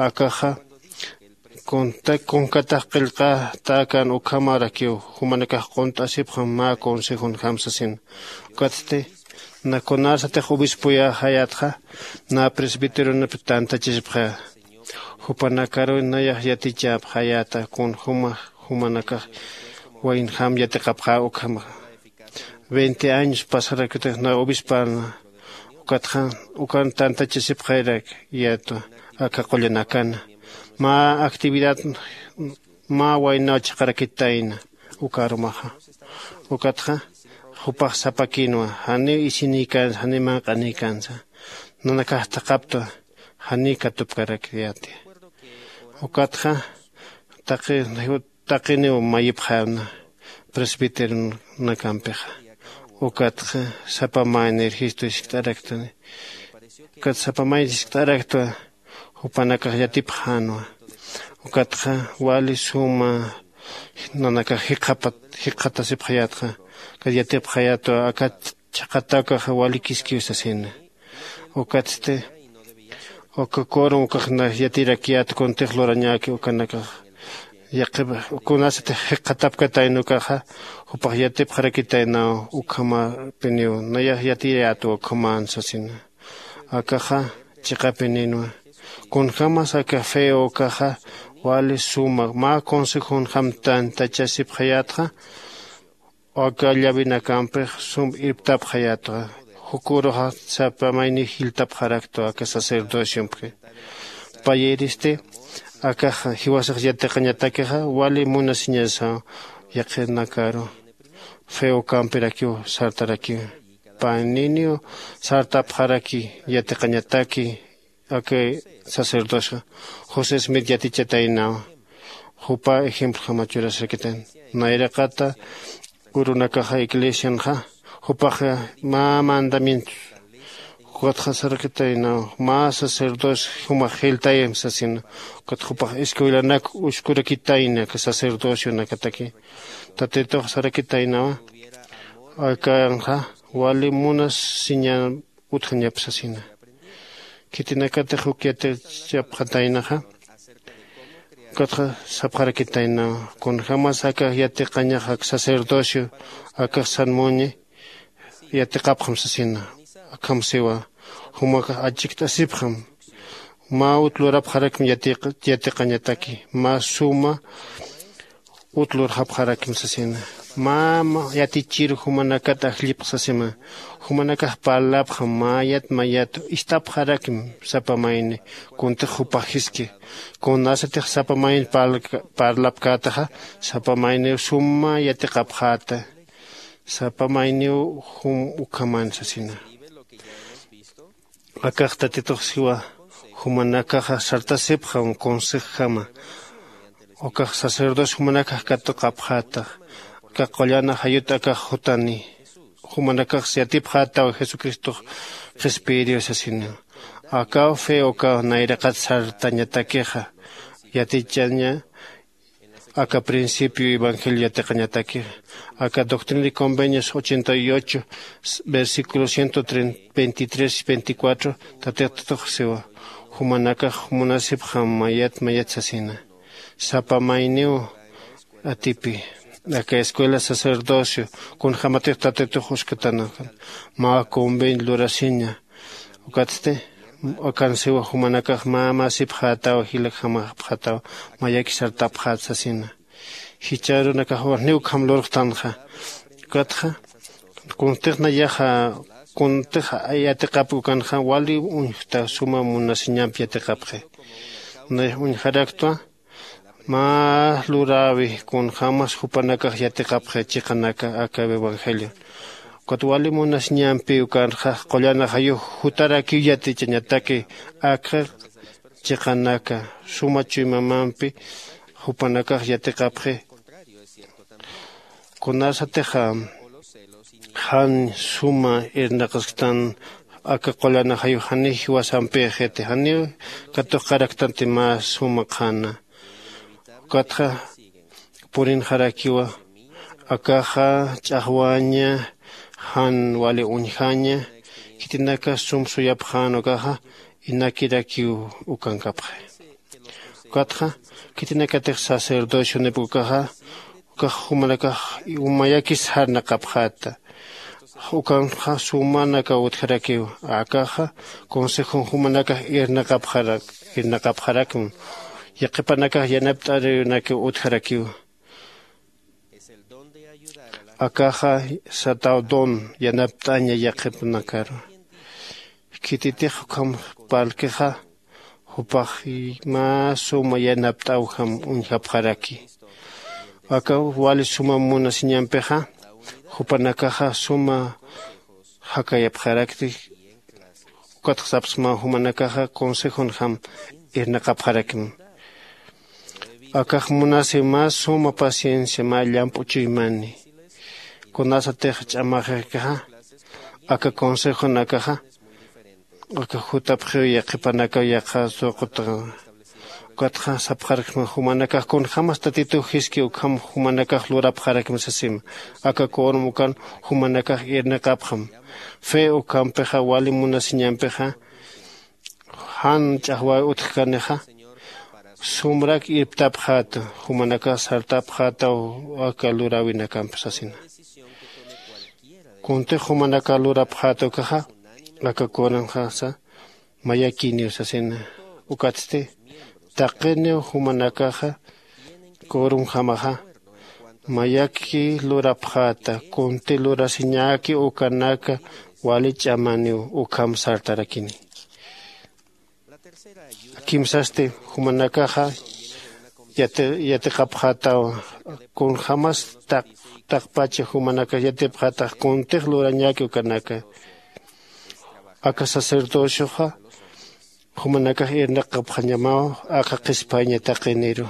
akaxa kunta kunkatax qillqatäkän ukhamarakiw jumanakax qunt'asipxam mä consejonjam sasina. Ukatsti na kunarsatix obispoyäxayätxa na presbíteronap tantachisipxä. Jupanakaruw nayax yatichäpxayäta kunjäma jumanakax waynjam yatiqapxä ukhamaxa. Veinte años pasarakitix na obispäna. Ukatxa ukan tantachasipxayarak yatwa aka qullanakana mä actividad mä waynaw chiqarakitayna. Uka arumaxa ukatxa jupax sapakïnwa janiw isinïkänsa janiw manq'anïkänsa. Nanakax thaqhaptwa janiw katupkarakyäti. Ukatxa taqi taqiniw mayipxäwna presbíteronakampixa. Ukatxa sapa mayni registro jiskt'araktani. Ukat sapa mayni jiskt'araktwa jupanakax yatipxänwa. Ukatxa wali suma nanakax jikxapat jikxatasipxayätxa. Ukat yatipxayätwa akat chhaqhata ukaxa wali kiskiw sasina. Ukatsti uka quorum ukax na yatirakiyät kuntix lurañäki ukanakax yaqhip kunasatix jikxatapkatayna ukaxa jupax yatipxarakitaynaw ukhamapiniw nayax yatirayätwa ukhamän sasina. Akaxa chiqapininwa kunjämas aka feo ukaxa wali suma mä consejonjam tantachasipxayätxa. Aka llavinakampix sum irptapxayätwa. Juküruxa sapa mayniw jiltapxaraktwa aka sacerdociompki. Payïristi akax jiwasax yatiqañatakixa wali munasiñasaw yaqhinakaru feokampirakiw sartarakiw. Payniniw sartapxaraki yatiqañataki. Aka sacerdocio josé smith yatichataynawa. Jupa ejemplo jama churasarakitan nayraqata urunakaxa iglesianxa jupaxa mä mandamientos ukatxa sarakitaynawa mä sacerdocio jumax jiltayam sasina. Ukat jupax escuelanak uskurakitayna aka sacerdocionakataki. Tatitux sarakitaynawa akanxa wali munasiñan utjañap sasina. Khitinakatix uk yatichapxataynaxa ukatxa sapxarakitaynawa kunjämas akax yatiqañax ak sacerdocio akax sanmuñi yatiqapxam sasina. Akham siwa jumakax achikt'asipxam mä ut lurapxarakim yatiqañataki mä suma ut lurxapxarakim sasina. Mä yatichir jumanakat ajllipx sasima. Jumanakax parlapxam mayat mayat ist'apxarakim sapa mayni kuntix jupax jiski. Kunasatix sapa mayni parlapkätaxa sapa mayniw suma yatiqapxäta. Sapa mayniw jum ukhaman sasina. Akax tatitux siwa jumanakaxa sartasipxam consejjama. Ukax sacerdocio jumanakax katuqapxätax. Aka qullana jayut akax jutani jumanakax yatipxätaw jesucristox qhispiyiriw sasiniw. Akaw fe ukaw nayraqat sartañatakixa yatichaña. Aka principio evangelio yatiqañataki aka doctrina y convenios ochenta y ocho versículo ciento veintitrés y veinticuatro. Tatitux siwa jumanakax munasipxam mayat mayat sasina sapa mayniw atipi aka escuela sacerdocio kunjämatix tatitux uskatanakan mä convenio lurasiña. Ukatsti akansiwa jumanakax mä mä sipxätaw jilakjamapxätaw mayaki sartapxät sasina. Jichharunakax janiw ukham lurxtanxa. Ukatxa kuntix nayaxa kuntix yatiqapki ukanxa wali uñjta suma munasiñamp yatiqapxi. Nayax uñjaraktwa mä luräwi kunjämas jupanakax yatiqapxi chiqanaka aka evangelio. Ukat wali munasiñampi ukanxa qullan ajayux jutarakiw yatichañataki akxa chiqanaka suma chuymamampi jupanakax yatiqapxi. Kunasatixa jan suma irnaqasktan aka qullan ajayux janiw jiwasampïxiti janiw katuqaraktanti mä suma qhana. Ukatxa purinxarakiwa akaxa ch'axwaña jan wali uñjaña. Khitinakas sum suyapxän ukaxa inakirakiw ukankapxi. Ukatxa khitinakatix sacerdocionip ukaxa ukax jumanakax mayakis jarnaqapxäta. Ukanxa sumanakaw utjarakiw akaxa consejon jumanakax irnaqapxarak irnaqapxarakm. Yaqhipanakax yanapt'arinakiw utjarakiw. Akaxa sataw don yanapt'aña yaqhipanakaru. Khititix ukham parlkixa jupax mä suma yanapt'awjam uñjapxaraki. Aka wali suma munasiñampixa jupanakaxa suma jakayapxarakti. Ukatxa sapxsma jumanakaxa consejonjam irnaqapxarakma. Akax munasi mä suma paciencia mä llamp'u chuymani. Kunasatix ch'amaxixkixa aka consejonakaxa aka jutapxiw yaqhipanakaw yaqha suqutaxa. Ukatxa sapxarksma jumanakax kunjämas tatituw jiski ukham jumanakax lurapxarakma sasima. Aka quorum ukan jumanakax irnaqapxam. Fe ukhampixa wali munasiñampixa jan ch'axwäwi utjkanixa sumrak irptapxäta jumanakax sartapxätaw aka luräwinakampi sasina. Kuntix jumanakax lurapxäta ukaxa aka quorumxasa mayakiniw sasina. Ukatsti taqiniw jumanakaxa quorumjamaxa mayaki lurapxäta kunti lurasiñäki ukanaka wali ch'amaniw ukham sartarakini. Kimsasti jumanakaxa yatiqapxätawa kunjämas taqpacha jumanakax yatipxätax kuntix lurañäki ukanaka. Aka sacerdocioxa jumanakax irnaqapxañamaw aka qhispayña taqiniru.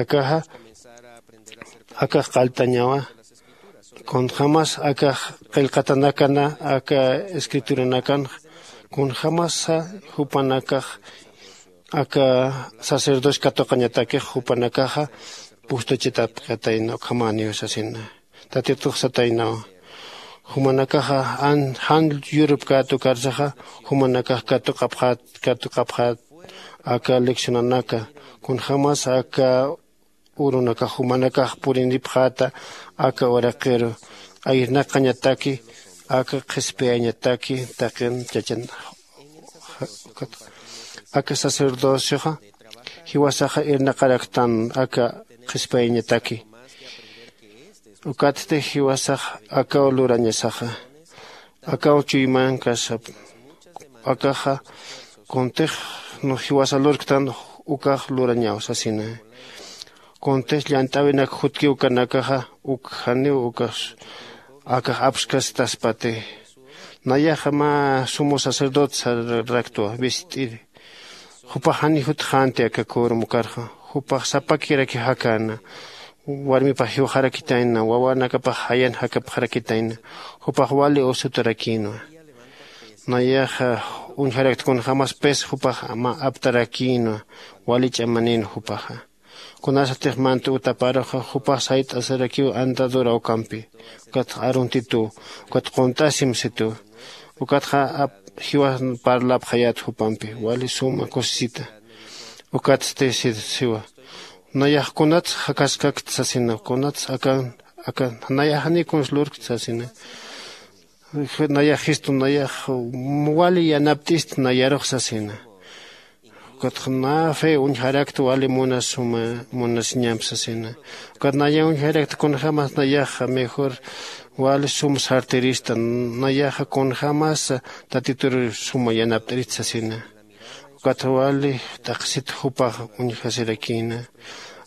Akaxa akax qalltañawa kunjämas akax qillqatanakana aka escrituranakanxa kunjämasa jupanakax aka sacerdocio katuqañatakix jupanakaxa pustachatapkatayna ukhamäniw sasina. Tatitux sataynawa jumanakaxa jan yurupkät ukarsaxa jumanakax katuqapxät katuqapxät aka leccionanaka kunjämas aka urunakax jumanakax purinipxäta aka uraqiru irnaqañataki aka qhispiyañataki taqin chachan. Aka sacerdocioxa jiwasaxa irnaqaraktan aka qhispiyañataki. Ukatsti jiwasax akaw lurañasaxa akaw chuymankasap. Akaxa kuntix jiwasa lurktan ukax lurañaw sasina. Kuntix llant'äwinak jutkiw ukanakaxa uk janiw ukax akax apskasitaspati. Nayaxa mä sumo sacerdote sararaktwa visit'iri. Jupax jani jutxänti aka quorum ukarxa jupax sapakiraki jakäna warmipax jiwxarakitayna wawanakapax jayan jakapxarakitayna. Jupax wali usutarakïnwa. Nayaxa uñjarakta kunjämas pis jupax mä aptarakïnwa wali ch'amanin jupaxa. Kunasatix mant utaparuxa jupax sayt'asirakiw andadura ukampi. Ukatxa aruntituw. Ukatxa qunt'asim situw. Ukatxa jiwas parlapxayät jupampi wali suma kusisita. Ukatsti siwa, nayax kunats jakaskakt sasina kunats akan akan nayaxaniy kunslurkt sasina. Nayax jistu nayax wali yanapt'ist nayarux sasina. Ukatxa na fe uñjarakt wali munasuma munasiñamp sasina. Ukat naya uñjarakt kunjämas nayaxa mejor wali sum sartirista. Nayaxa kunjämas tatitur suma yanapt'irist sasina. Ukatxa wali t'aqsit jupax uñjasirakïna.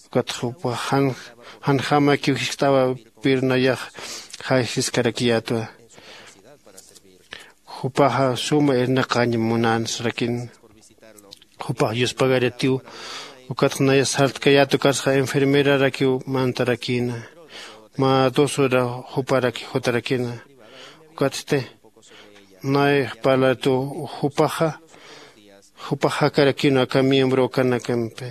Ukatxa jupax janjämakiw jiskt'awapir nayax jaysiskarakiyätwa. Jupaxa suma irnaqañ munänsarakin. Jupax yuspagaratiw. Ukatxa naya sartkayät ukatxa enfermerarakiw mantarakïna. Mä dos hora juparaki jutarakïna. Ukatsti nay parlartu jupaxa jupax jakarakïnwa aka miembro ukanakampi.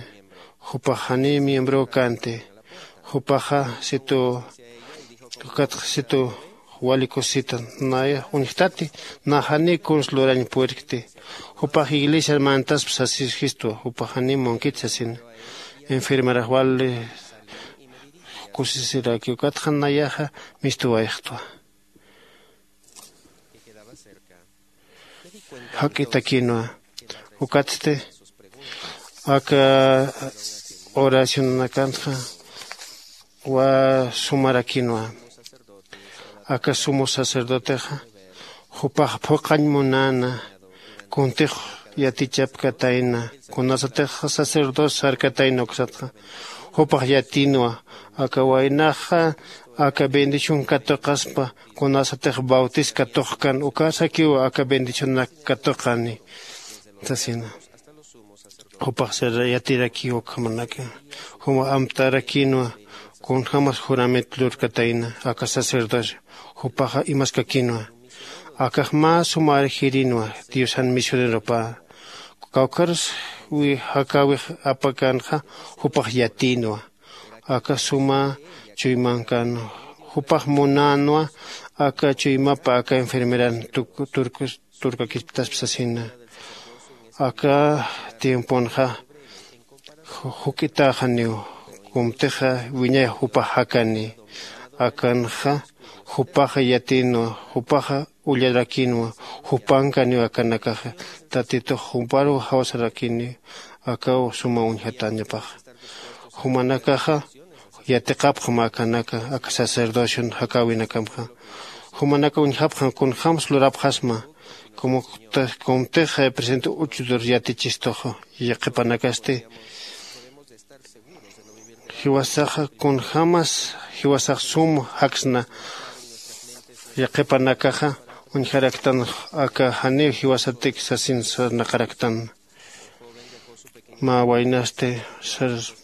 Jupax janiy miembro ukanti. Jupaxa situ ukatxa situ wali kusita. Nayax uñjtati. Nax janiy kuns lurañ purirkti. Jupax iglesiar mantasp sasisjistwa jupax janiy munkit sasina. Enfermerax wali kusisiraki ukatxa nayaxa mistuwayxtwa. Jak'itakinwa. Ukatsti aka oracionanakanxa wa sumarakïnwa. Aka sumo sacerdotexa jupax phuqhañ munäna. Kuntix yatichapkatayna kunasatix sacerdocio sarkatayna uksatxa jupax yatïnwa. Aka waynaxa aka bendición katuqaspa kunasatix bautis katuqkan ukasakiw aka bendicionak katuqani sasina. Jupax yatirakiw ukhamanaka juma amtarakïnwa. Kunjämas juramento lurkatayna aka sacerdocio jupaxa imaskakïnwa. Akax mä sumar jirinwa diosan misioneropä. Kawkharus jakäwix apakanxa jupax yatïnwa. Aka suma chuymankan jupax munänwa. Aka chuymapa aka enfermeran turkakisptaspa sasina. Aka tiemponxa juk'itäxaniw. Kumtixa wiñay jupax jakani. Akanxa jupaxa yatïnwa. Jupaxa ullarakïnwa. Jupankaniw akanakaxa tatitux jumparuw jawsarakïni. Akaw suma uñjatäñapaxa jumanakaxa yatiqapxam akanaka aka sacerdocion jakäwinakamxa. Jumanaka uñjapxam kunjämsa lurapxasma. Kumtix presente uchudur yatichistuxa yaqhipanakasti jiwasaxa kunjämas jiwasax sum jaksna. Yaqhipanakaxa uñjaraktan aka janiw jiwasatik sasin sarnaqaraktan. Mä waynasti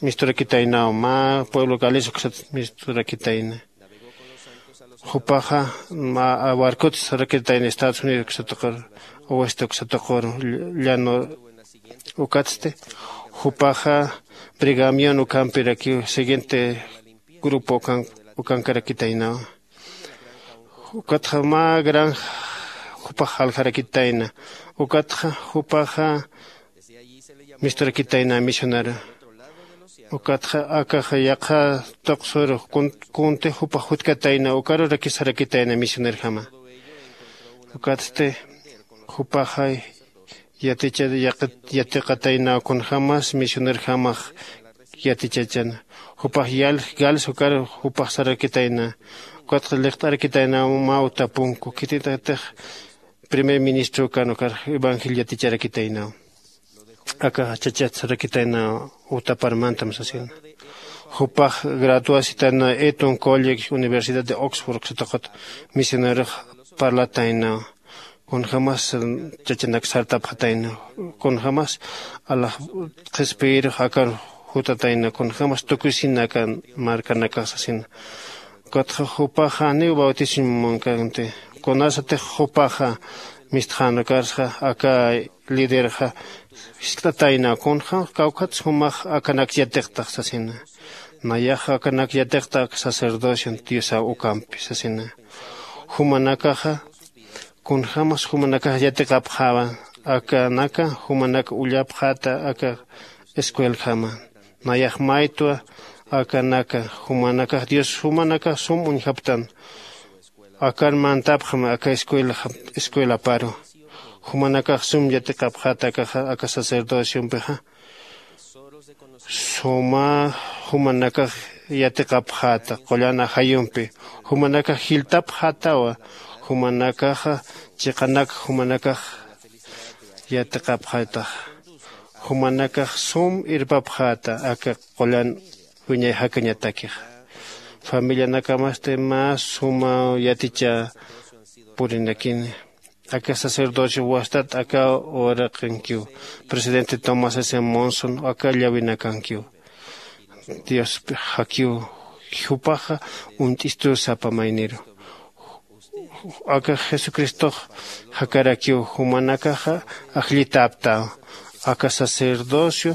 misturakitaynaw mä pueblo gales uksat misturakitayna. Jupaxa mä barcot sarakitayna estados unidos uksatuqur oeste uksatuqur llano. Ukatsti jupaxa brigamion ukampirakiw siguiente grupo ukankarakitaynaw. Ukatxa mä granja jupax jaljarakitayna. Ukatxa jupaxa misturakitayna misionero. Ukatxa akaxa yaqha tuqsuru kuntix jupax jutkatayna ukarurakis sarakitayna misionerjama. Ukatsti jupaxa yatiqataynaw kunjämas misionerjamax yatichachana. Jupax yalj gals ukar jupax sarakitayna. Ukatxa liqt'arakitaynaw mä utapunku khitintatix primer ministro ukan ukar evangelio yaticharakitaynaw. Aka chachat sarakitayna utapar mantam sasina. Jupax graduasitayna eton college universidad de oxford uksatuqat misionerox parlataynaw. Kunjämas chachanak sartapxatayna. Kunjämas alax qhispiyirux akar jutatayna kunjämas tukuysina akan markanakax sasina. Ukatxa jupaxa janiw bautismo munkanti. Kunasatix jupaxa mistxän ukarsa aka liderxa jiskt'atayna kunxa kawkhat sumax akanak yatiqtax sasina. Nayax akanak yatiqta aka sacerdocion diosaw ukampi sasina. Jumanakaxa kunjämas jumanakax yatiqapxäwa akanaka jumanak ullapxäta aka escueljama. Nayax maytwa akanaka jumanakax dios jumanakax sum uñjaptan akan mantapxam aka escuelaparu. Jumanakax sum yatiqapxäta akaxa aka sacerdociompixa suma jumanakax yatiqapxäta qullan ajayumpi. Jumanakax jilltapxätawa jumanakaxa chiqanak jumanakax yatiqapxätaxa. Jumanakax sum irpapxäta aka qullan wiñay jakañatakixa. Familianakamasti mä suma yaticha purinakini. Aka sacerdocio wastat aka uraqinkiw presidente tomás s monson aka llawinakankiw. Dios jakiw jupaxa uñt'istur sapa mayniru. Aka jesucristox jakarakiw jumanakaxa ajllitaptaw aka sacerdocio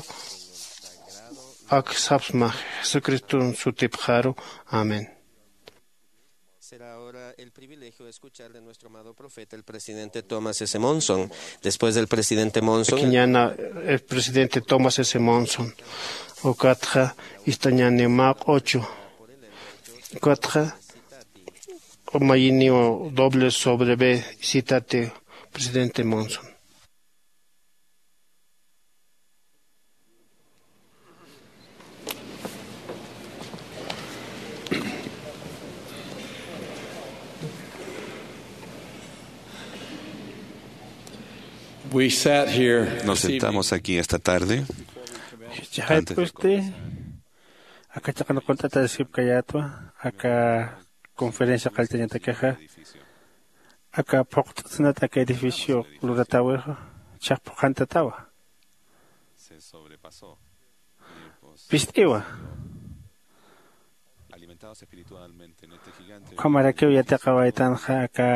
ak sapsma jesucriston sutipxaru. Amén. Será ahora el privilegio de escuchar de nuestro amado profeta, el presidente Thomas S. Monson. Después del presidente Monson, kiñana el presidente Thomas S. Monson. Ukatxa istañani maq'ocho. Ukatxa mayiniw doble sobre b. Citate presidente Monson. Nos sentamos aquí esta tarde. Chajayp'usti aka chaqan qunt'ataskipkayätwa aka conferencia qalltañatakixa aka phuqt'sinat aka edificio luratäwixa chhaq phuqhantatawa. Pist'iwa. Ukhamarakiw yatiqawaytanxa aka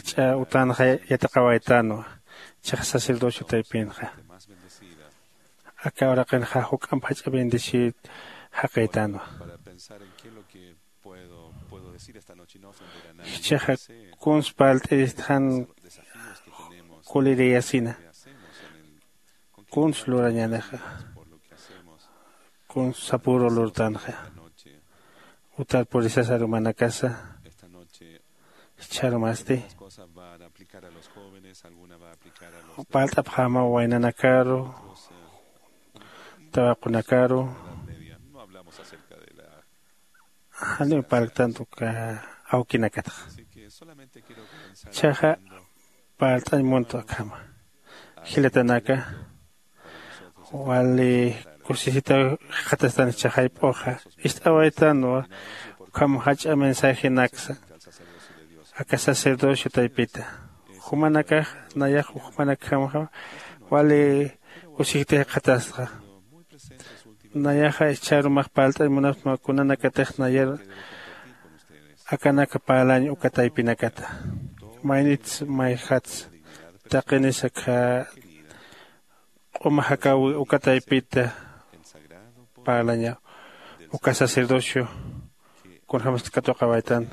jach'a utanxa yatiqawaytanwa. Chhax sacerdocio taypinxa aka uraqinxa juk'amp jach'a bendecir jaqïtanwa. Jichhaxa kuns parlt'iristxan kuliriyasina kuns lurañänixa kuns sapüru lurtanxa. Utar purisas arumanakasa jichharumasti parlt'apxämaw waynanakaru tawaqunakaru. Janiw parlktantu uka awkinakatxa. Chhaxa parlt'añ muntwa akhama jilatanaka wali kusisitaw jikxatastan jichhaxayp'uxa ist'awaytanwa. Ukham jach'a mensajenaksa aka sacerdocio taypita jumanakax nayax jumanakjamxa wali kusisita jikxatastxa. Nayaxa jichharumax parlt'añ munapxsma kunanakatix nayar akanaka parlañ uka taypinakata. Maynits mayjats taqinis akha q'uma jakäwi uka taypita parlañaw uka sacerdocio kunjämasti katuqawaytan.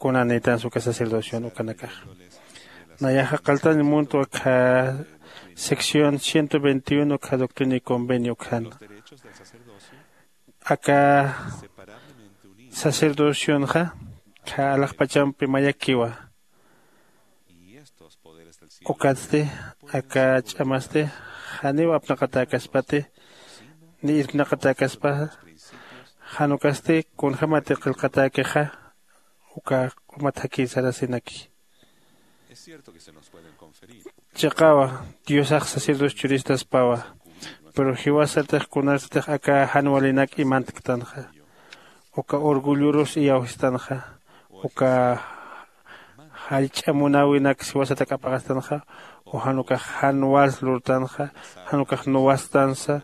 Kunanïtansa uka sacerdocion ukanakax nayaxa qalltañ muntwa akha sección ciento veintiuno akha doctrina y convenio ukhan aka sacerdocionxa kha alaxpachampi mayakiwa. Ukatsti aka ch'amasti janiw apnaqatäkaspati ni irpnaqatäkaspa. Jan ukasti kunjämati qillqatäkixa uka q'umat jakir sarasinaki. Chiqawa diosax sacerdocio churistaspawa. Pero jiwasatix kunarsatix aka jan walinak imantktanxa uka orgullorus iyawsistanxa uka jallch'a munäwinak jiwasatak ap'axastanxa o jan ukax jan wals lurtanxa jan ukax nuwastansa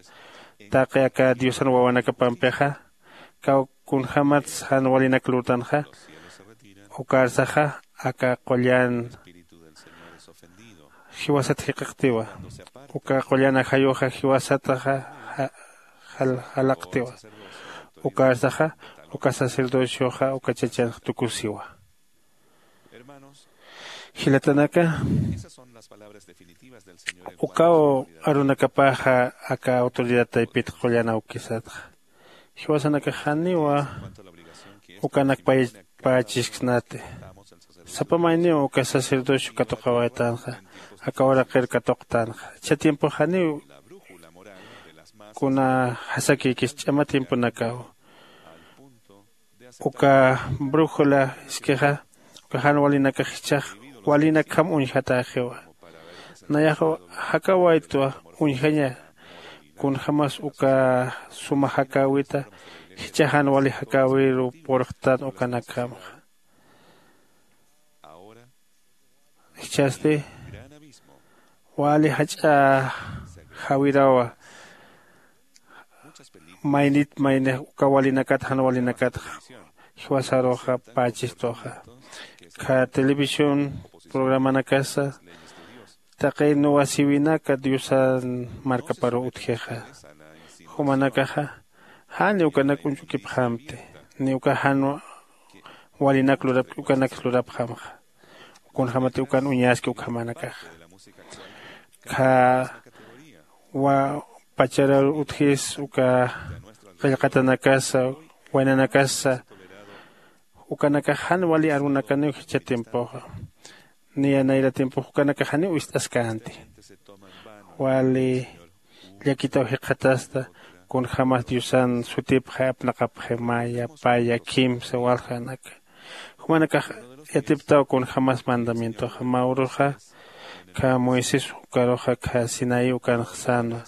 taqi aka diosan wawanakapampixa kaw kunjämats jan walinak lurtanxa ukarsaxa aka qullan jiwasat jiqaqtiwa. Uka qullan ajayuxa jiwasataxa jalaqtiwa. Ukarsaxa uka sacerdocioxa uka chachanx tukusiwa. Jilatanaka, ukaw arunakapaxa aka autoridad taypit qullan awkisatxa. Jiwasanakax janiwa ukanak paypachasksnati. Sapa mayniw uka sacerdocio katuqawaytanxa aka uraqir katuqtanxa. Ichha tiempox janiw kuna jasakïkis ch'ama tiemponakaw. Uka brújula iskixa uka jan walinakax jichhax walinakjam uñjatäxiwa. Nayax jakawaytwa uñjaña kunjämas uka suma jakäwita jichha jan wali jakäwiru purxtan ukanakjamxa. Jichhasti wali jach'a jawirawa. Maynit maynix uka walinakat jan walinakatxa jiwasaruxa pächistuxa. Kha televisión programanakasa taqi nuwasiwinaka diosan markaparuw utjixa. Jumanakaxa jan ni ukanak uñch'ukipxamti ni uka jan walinak lurapki ukanaksa lurapxamxa. Kunjämati ukan uñaski ukhamanakaxa kha wa pacharar utjis uka qillqatanakasa waynanakasa. Ukanakax jan wali arunakaniw jichha tiempoxa. Niya nayra tiempox ukanakax janiw ist'askänti. Wali llakitaw jikxatasta kunjämas diosan sutipxay apnaqapxay maya paya kimsa waljanaka. Jumanakax yatiptaw kunjämas mandamientoxa mä uruxa kha moisés ukaruxa kha sinaí ukanx sänwa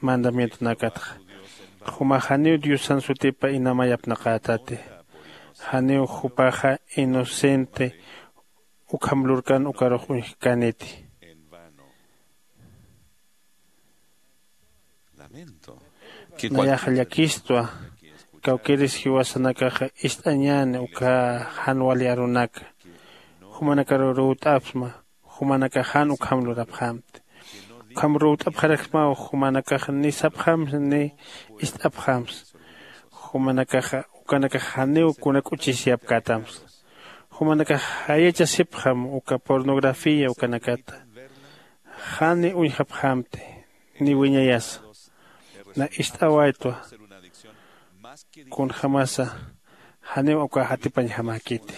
mandamientonakatxa. Jumax janiw diosan sutipa inamay apnaqätati. Janiw jupaxa inocente ukham lurkan ukarux uñjkäniti. Nayaxa llakistwa. Kawkïris jiwasanakaxa ist'añäni uka jan wali arunaka. Jumanakaruw ruwt'apxsma. Jumanakax jan ukham lurapxämti. Ukham ruwt'apxaraksmaw jumanakax ni sapxämsa ni ist'apxämsa. Jumanakaxa ukanakax janiw kuna k'uchisyapkätamsa. Jumanakax jayachasipxam uka pornografía ukanakata. Jan ni uñjapxämti ni wiñayasa. Na ist'awaytwa kunjämasa janiw ukax atipañjamäkiti.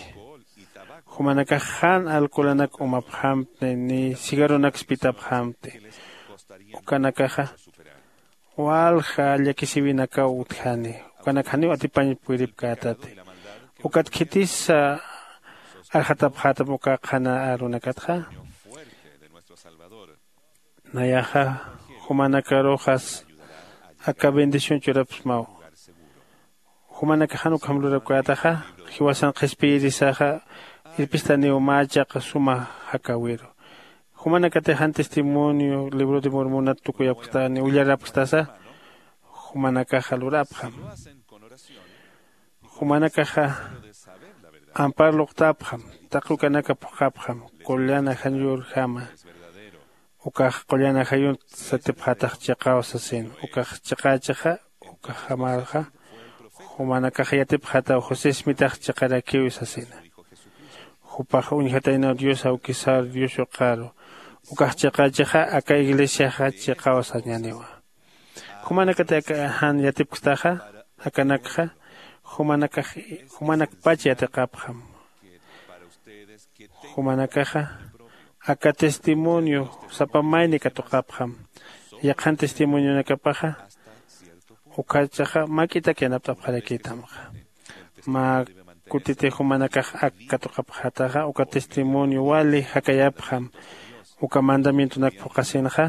Jumanakax jan alcoholanak umapxämti ni cigarronaksa pitapxämti. Ukanakaxa walja llakisiwinakaw utjani. Ukanak janiw atipañ puripkätati. Ukat khitisa arxatapxätam uka qhana arunakatxa. Nayaxa jumanakaruxas aka bendición churapxsmaw. Jumanakax jan ukham lurapkätaxa jiwasan qhispiyirisaxa irpistaniw mä chiqa suma jakäwiru. Jumanakatix jan testimonio libro de mormonat tukuyapkstani willarapkstasa jumanakaxa lurapxam. Jumanakaxa ampar luqtapxam. Taqi ukanaka phuqhapxam qullan ajañurjama. Ukax qullan ajayunt satipxatax chiqaw sasin. Ukax chiqächixa ukaxamarxa jumanakax yatipxataw josé ismitax chiqarakiw sasina. Jupax uñjataynaw dios awkisar dios yuqaru. Ukax chiqächixa aka iglesiaxa chiqaw sañäniwa. Jumanakati aka jan yatipkstaxa akanakxa jumanakax jumanakpach yatiqapxam. Jumanakaxa aka testimonio sapa mayni katuqapxam. Yaqhan testimonionakapaxa ukhachaxa mak'itak yanapt'apxarakïtamxa. Mä kutiti jumanakax ak katuqapxataxa uka testimonio wali jakayapxam. Uka mandamientonak phuqhasinxa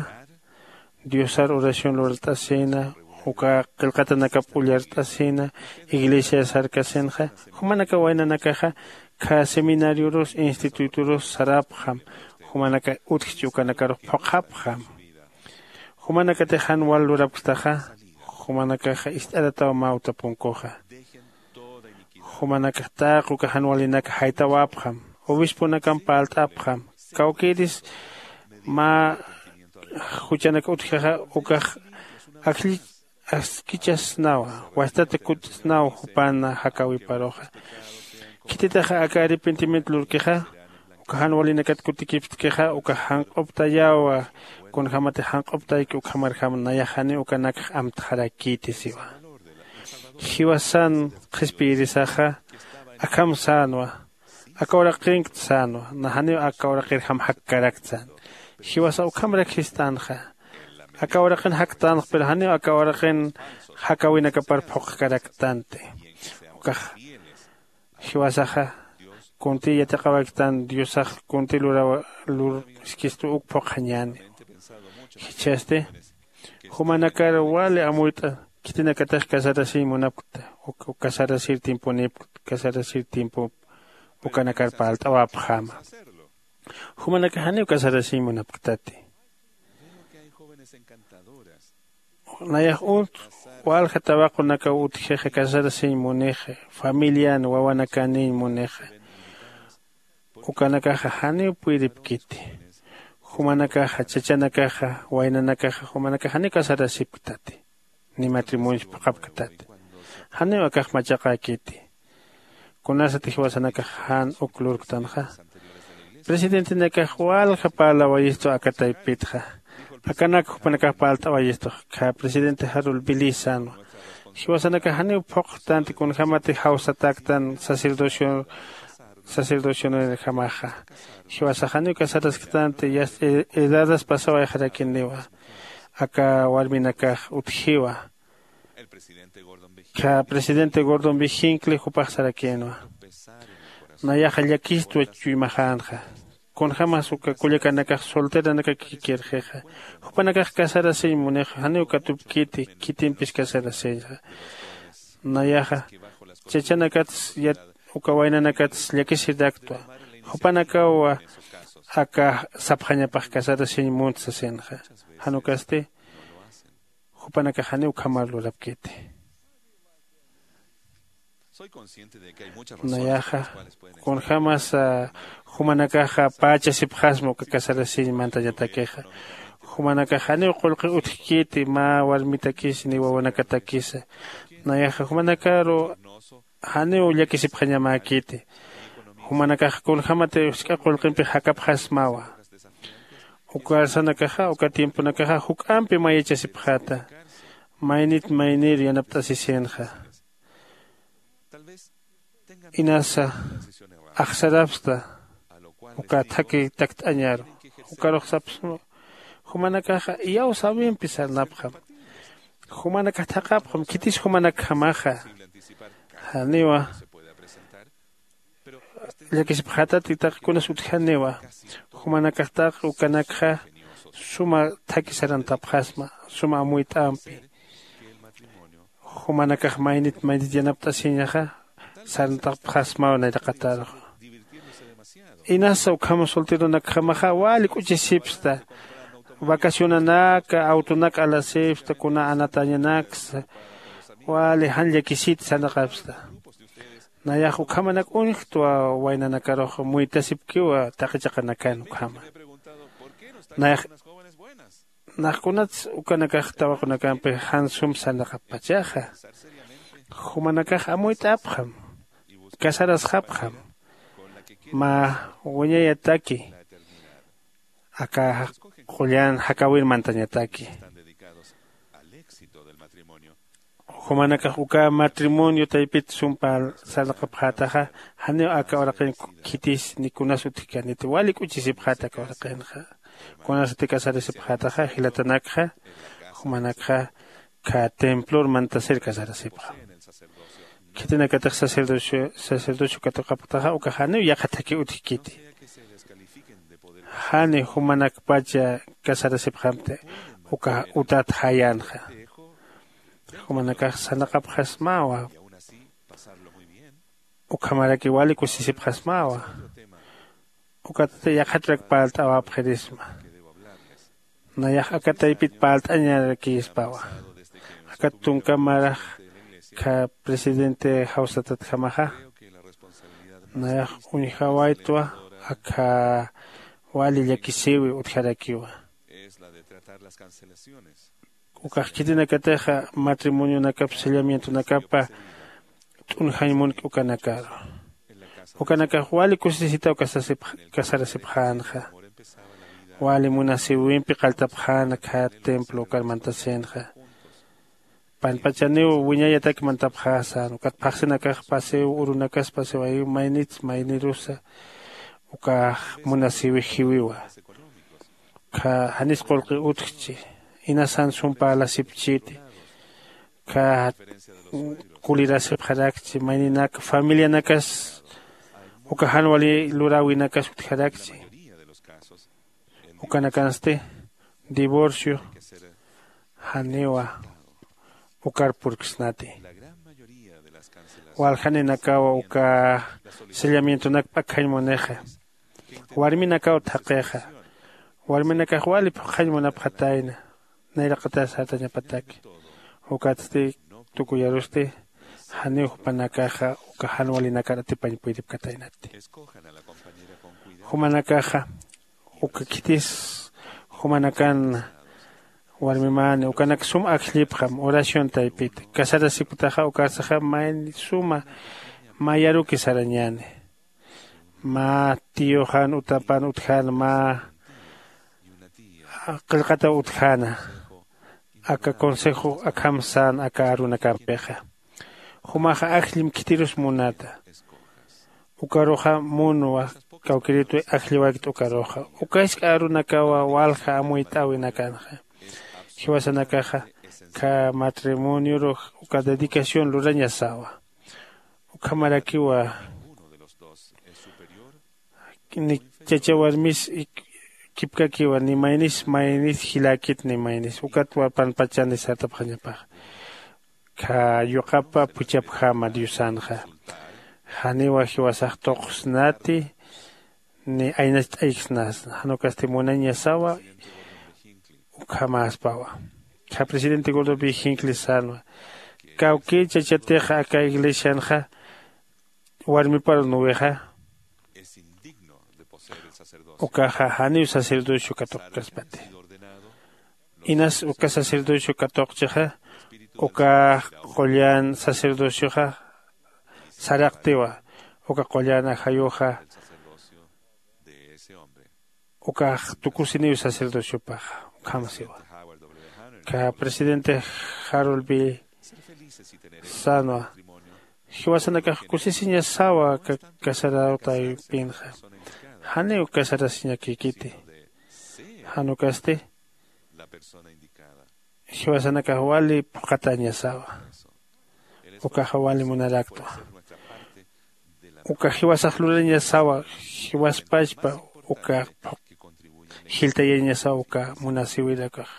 diosar oración lurt'asina uka qillqatanakap ullart'asina iglesias sarkasinxa. Jumanaka waynanakaxa kha seminariorus institutorus sarapxam. Jumanaka utjchi ukanakarux phuqhapxam. Jumanakatix jan wal lurapkstaxa jumanakaxa ist'arataw mä uta punkuxa. Jumanakax taqi uka jan walinak jaytawapxam. Obisponakamp parlt'apxam. Kawkïris mä juchanak utjaxa ukax akll askichasnawa, wastat kutsnaw jupan jakawiparuxa. Khititaxa aka arrepentimiento lurkixa uka jan walinakat kutikipxtkixa uka janq'uptayawa. Kunjämatix janq'uptayki ukhamarjam nayax janiw ukanakx amtxarakïti siwa. Jiwasan qhispiyirisaxa akham sänwa, aka uraqinkt sänwa, na janiw aka uraqirjam jakkarakta sän. Jiwasa ukhamrak jistänxa. Aka uraqin jaktänx pero janiw aka uraqin jakawinakapar phuqhkaraktänti. Ukax jiwasaxa kuntï yatiqawayktän diosax kuntï lurawa lurskistu uk phuqhañäni. Jichhasti jumanakar wali amuyt'a khitinakatix casarasiñ munapkta, uk casarasir tiemponïpkta, casarasir tiempo ukanakar parlt'awapxäma. Jumanakax janiw casarasiñ munapktati. Nayax unt walja tawaqunakaw utjixa casarasiñ munixa, familian wawanakaniñ munixa. Ukanakaxa janiw puyripkiti. Jumanakaxa chachanakaxa waynanakaxa jumanakax janiw casarasipktati, ni matrimonios phuqhapktati. Janiw akax machaqäkiti. Kunasatix jiwasanakax jan uk lurktanxa, presidentenakax walja parlawayistu aka taypitxa. Akanak jupanakax parlt'awayistu, khä presidente jarul billy sänwa. Jiwasanakax janiw phuqhtänti kunjämatix jawsatäktan sacerdocio sacerdocionirjamaxa. Jiwasax janiw casarasktänti, yast edadas pasawayxarakiniwa. Aka warminakax utjiwa. Khä presidente gordon b hinckley jupax sarakïnwa, nayaxa llakistwa chuymaxänxa. Kunjämas uka kullakanakax solteranakakikirxixa, jupanakax casarasiñ munixa, janiw katupkiti khitimpis casarasiñxa. Nayaxa chachanakatsa uka waynanakatsa llakisiraktwa. Jupanakaw aka sapxañapax casarasiñ munt sasinxa. Jan ukasti jupanakax janiw ukhamar lurapkiti. Nayaxa kunjämasa jumanakaxa pächasipxasma uka casarasiñ mantañatakixa. Jumanakax janiw qullqi utjkiti mä warmitakisa ni wawanakatakisa. Nayaxa jumanakaru janiw llakisipxañamäkiti. Jumanakax kunjämati jisk'a qullqimpix jakapxasmawa. Uka arsanakaxa uka tiemponakaxa juk'ampi mayachasipxäta. Maynit maynir yanapt'asisinxa. Inasa axsarapxta uka thakhi takt'añaru. Ukarux sapxsma, jumanakaxa iyawsäwimpi sarnapxam. Jumanakax thaqhapxam khitis jumanakjamaxa. Janiwa llakisipxätati, taqi kunas utjaniwa. Jumanakax taqi ukanakxa suma thakhi sarantapxasma, suma amuyt'ampi. Jumanakax maynit maynit yanapt'asiñaxa sarantapxasmaw nayraqataruxa. Inasa ukham solteronakjamaxa wali k'uchisipxsta. Vacacionanaka, autonak alasipxsta, kuna anatañanaksa wali jan llakisiti sarnaqapxsta. Nayax ukhamanak uñjtwa waynanakarux muytasipkiwa taqi chiqanakan ukhama. Nayax nax kunats ukanakax tawaqunakampi jan sum sarnaqappachaxa. Jumanakax amuyt'apxam, casarasxapxam mä wiñayataki aka qullan jakawir mantañataki. Jumanakax uka matrimonio taypit sumpa sarnaqapxätaxa, janiw aka uraqin khitis ni kunas utjkaniti, wali k'uchisipxäta aka uraqinxa. Kunasati casarasipxätaxa jilatanakxa, jumanakxa khä templor mantasir casarasipxam. Khitinakatix sacerdocio sacerdocio katuqapxtaxa ukax janiw yaqha thakhi utjkiti. Jani jumanakpacha casarasipxamti ukax utat jayänxa. Jumanakax sarnaqapxasmawa. Ukhamaraki wali kusisipxasmawa. Ukatati yaqhatrak parlt'awapxirisma. Nayax aka taypit parlt'añarakïspawa. Akat tunka marax khä presidente jawsatatjamaxa, nayax uñjawaytwa aka wali llakisiwi utjarakiwa. Ukax khitinakatixa matrimonionakap sellamientonakapa t'unjañ munk'i ukanakaru. Ukanakax wali kusisitaw kasasipx- kasarasipxänxa. Wali munasiwimpi qalltapxäna khä templo ukar mantasinxa. Panpachaniw wiñayatak mantapxäsan ukat phaxsinakax pasiw urunakas pasiwayiw maynits maynirusa ukax munasiwi jiwiwa. Ukkha janis qullqi utjchi, inasan sum parlasipchiti, ukkha kulirasipxarakchi mayninak familianakas uka jan wali luräwinakas utjarakchi. Ukanakansti divorcio janiwa ukar purksnati. Waljaninakawa uka sellamientonak p'akjañ munixa. Warminakaw thaqixa. Warminakax wali phuqjañ munapxatayna nayraqatar sartañapataki. Ukatsti tukuyarusti janiw jupanakaxa uka jan walinakar atipañ puydipkataynati. Jumanakaxa uka khitis jumanakan warmimani ukanak sum ajllipxam oración taypita casarasipktaxa ukarsaxa mayni suma mayaruki sarañani. Mä tiyoxan utapan utjäna mä qillqataw utjäna aka consejo akham sän aka arunakampixa. Jumaxa ajllim khitirus munata. Ukaruxa munwa kawkïritwi ajlliwaykta ukaruxa. Uka jisk'a arunakawa walja amuyt'äwinakanxa. Jiwasanakaxa khä matrimonioru uka dedicación lurañasawa. Ukhamarakiwa ni chacha warmis kipkakiwa ni maynis maynis jiläkit ni maynis ukatwa panpachani sartapxañapaxa. Khä yuqapa phuchhapjama diosanxa. Janiwa jiwasax tuqsnati ni aynacht'ayksnasna jan ukasti munañasawa. Ukhamäspawa khä presidente gordon b hinckley sänwa kawkïr chachatixa aka iglesianxa warmiparu nuwixa ukaxa janiw sacerdocio katuqkaspati. Inas uka sacerdocio katuqchixa uka qullan sacerdocioxa saraqtiwa. Uka qullan ajayuxa ukax tukusiniw sacerdociopaxa. Ukham siwa ka presidente jarol bi sänwa jiwasanakax kusisiñasawa ka casaraw taypinxa. Janiw casarasiñakïkiti jan ukasti jiwasanakax wali phuqhatañasawa. Ukaxa wali munaraktwa. Uka jiwasax lurañasawa jiwaspachpa uka jiltayañasawa uka munasiwirakax.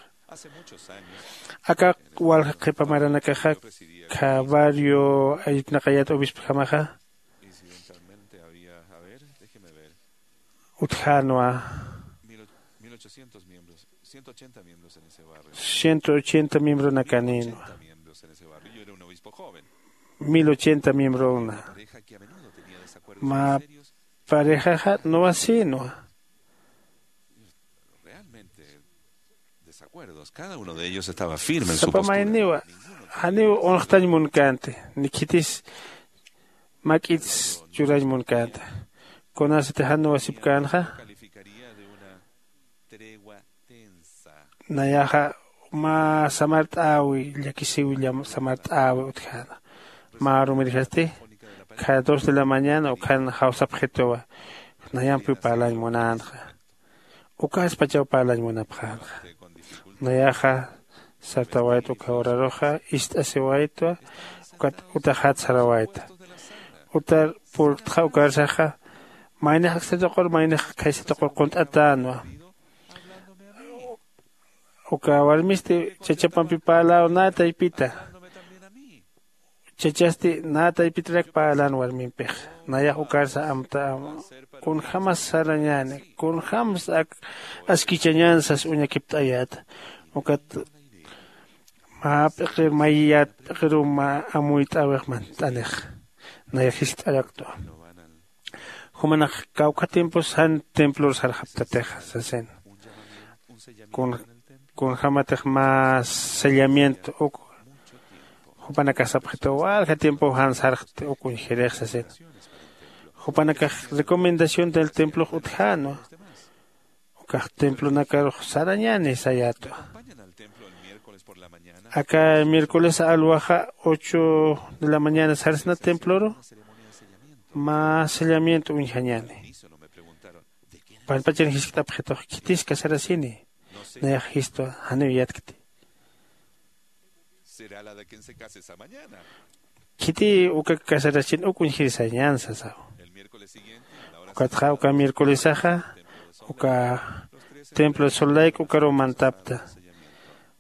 Aka walja qhipa maranakaxa kha barrio aypnaqayat obispojamaxa utjänwa. Ciento ochenta miembronakanïnwa. Mil ochenta miembrona. Mä parejaxa nuwasïnwa. Sapa mayniwa janiw unxtañ munkänti ni khitis mak'its churañ munkänti. Kunasati jan nuwasipkänxa nayaxa mä samart'äwi llakisiw samart'äwi utjäna. Mä rumirjasti kha dos de la mañana ukhan jawsapxituwa. Nayampiw parlañ munänxa. Ukaspachaw parlañ munapxänxa. Nayaxa sartawayta uka horaruxa ist'asiwaytwa. Ukat utaxat sarawayta utar purktxa ukarsaxa maynax aksatuqur maynax khaysa tuqur qunt'atänwa. Uka warmisti chachapampi parlaw nä taypita. Chachasti nä taypitarak parlan warmimpix. Nayax ukarsa amta kunjämas sarañäni kunjämas ak askichañän sas uñakipt'ayäta. Ukat mä p'iqir mayiyät p'iqiruw mä amuyt'äwix mant'anix. Nayax jiskt'araktwa. Jumanax kawkha tiempos jan templor sarxaptatixa sasina. Kunjämatix mä sellamiento uk jupanakax sapxituw walja tiempow jan sarxti uk uñjirix sasina. Jupanakax recomendación del templox utjänwa. Ukax templonakarux sarañäni sayätwa. Aka miércoles alwaxa ocho de la mañana sarsna temploru mä sellamiento uñjañäni. Panpachan jiskt'apxitux khitis casarasini? Nayax jistwa janiw yatkti. Khiti uka casarasin uk uñjirisañän sasaw. Ukatxa uka miércolesaxa uka templo sollayk ukaruw mantapta.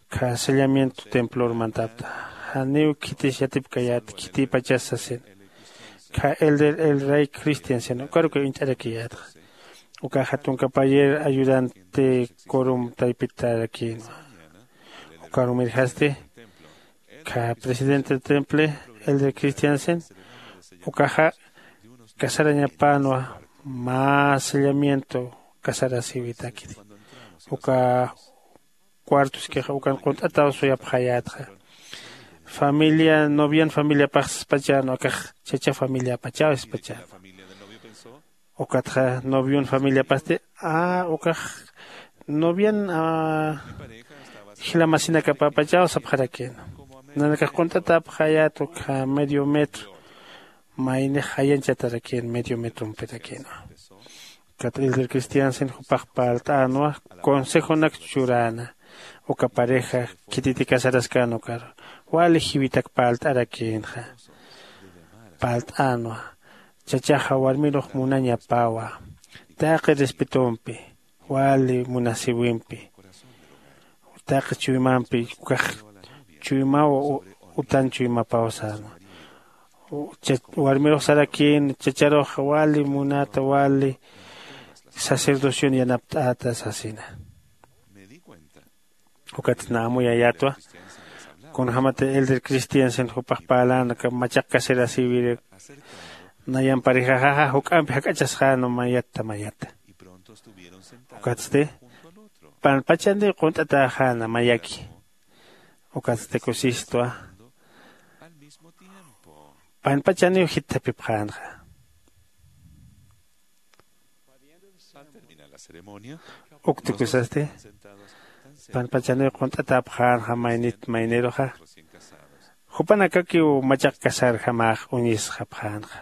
Kha sellamiento templor mantapta. Janiw khitis yatipkayät khitipachas sasin. Kha elder el rey cristian sin ukaruka uñt'arakiyätxa. Ukaxa tunka payer ayudante corum taypitarakïnwa. Ukarumirjasti kha presidente del temple elder cristian sin ukaxa casarañapänwa. Mä sellamiento casarasiwitakiti. Uka cuartoskixa ukan qunt'ataw suyapxayätxa. Familia novian familiapax spachänwa akax chacha familiapachaw spachänwa. Ukatxa novion familiapasti a ukax novian jilamasinakapapachaw sapxarakïna. Nanakax qunt'atäpxayät ukkha medio metro. Maynix jayanchatarakïn medio metrompirakïnwa. Ukat elder cristian sin jupax parlt'änwa consejonak churäna. Uka pareja khititi casaraskän ukaru wali jiwitak parlt'arakïnxa. Parlt'änwa chachaxa warmirux munañapawa. Taqi respetompi wali munasiwimpi taqi chuymampi ukax chuymaw utan chuymapaw sänwa. Warmirux sarakïn chacharux wali munata wali sacerdocion yanapt'ata sasina. Ukat na amuyayätwa kunjämati elder cristian sin jupax parlän aka machaq casarasiwiri nayan parejaxaxa juk'ampi jak'achasxänwa mayatta mayata. Ukatsti panpachaniw qunt'atäxäna mayaki. Ukatsti kusistwa panpachaniw jitthapipxänxa. Uktukusasti panpachaniw qunt'atäpxänxa maynit mayniruxa. Jupanakakiw machaq casarjamax uñisxapxänxa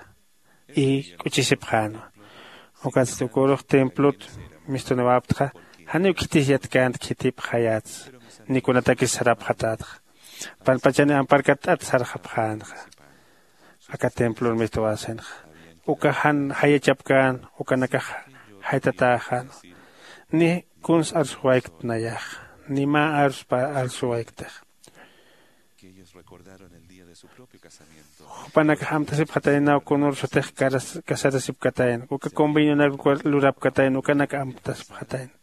y k'uchisipxänwa. Ukatsti ukürux templot mistuniwäptxa janiw khitis yatkänti khitipxayätsa ni kunatakis sarapxatätxa. Panpachaniw amparkatt'at sarxapxänxa. Aka templor mistuwäsinxa uka jan jayachapkän ukanakax jaytatäxänwa. Ni kuns arsuwaykt nayaxa ni mä arsupa arsuwayktixa. Jupanakax amtasipxataynaw kunür sutix kasarasipkatayna uka convenionak lurapkatayna ukanak amtasipxatayna.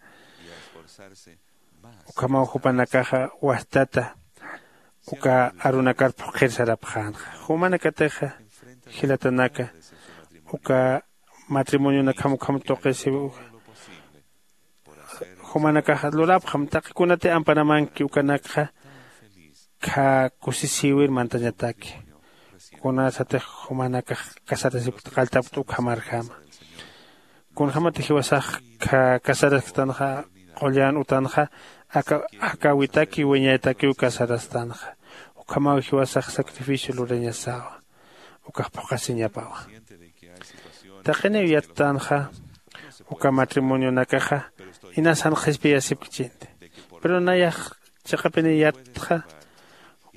Ukhamaw jupanakaxa wastata uka arunakar phuqhir sarapxänxa. Jumanakatixa jilatanaka uka matrimonionakjam ukham tuqisiw uka jumanakaxa lurapxam taqi kunati amparamanki ukanakxa kha kusisïwir mantañataki. Kunasatix jumanakax casarasipkta qalltapkta ukhamarjama. Kunjämati jiwasax kha casarasktanxa qullan utanxa aka jakäwitaki wiñaytakiw casarastanxa. Ukhamaw jiwasax sacrificio lurañasawa ukax phuqhasiñapawa. Taqiniw yattanxa uka matrimonionakaxa inas jan qhispiyasipkchinti. Pero nayax chiqapiniw yattxa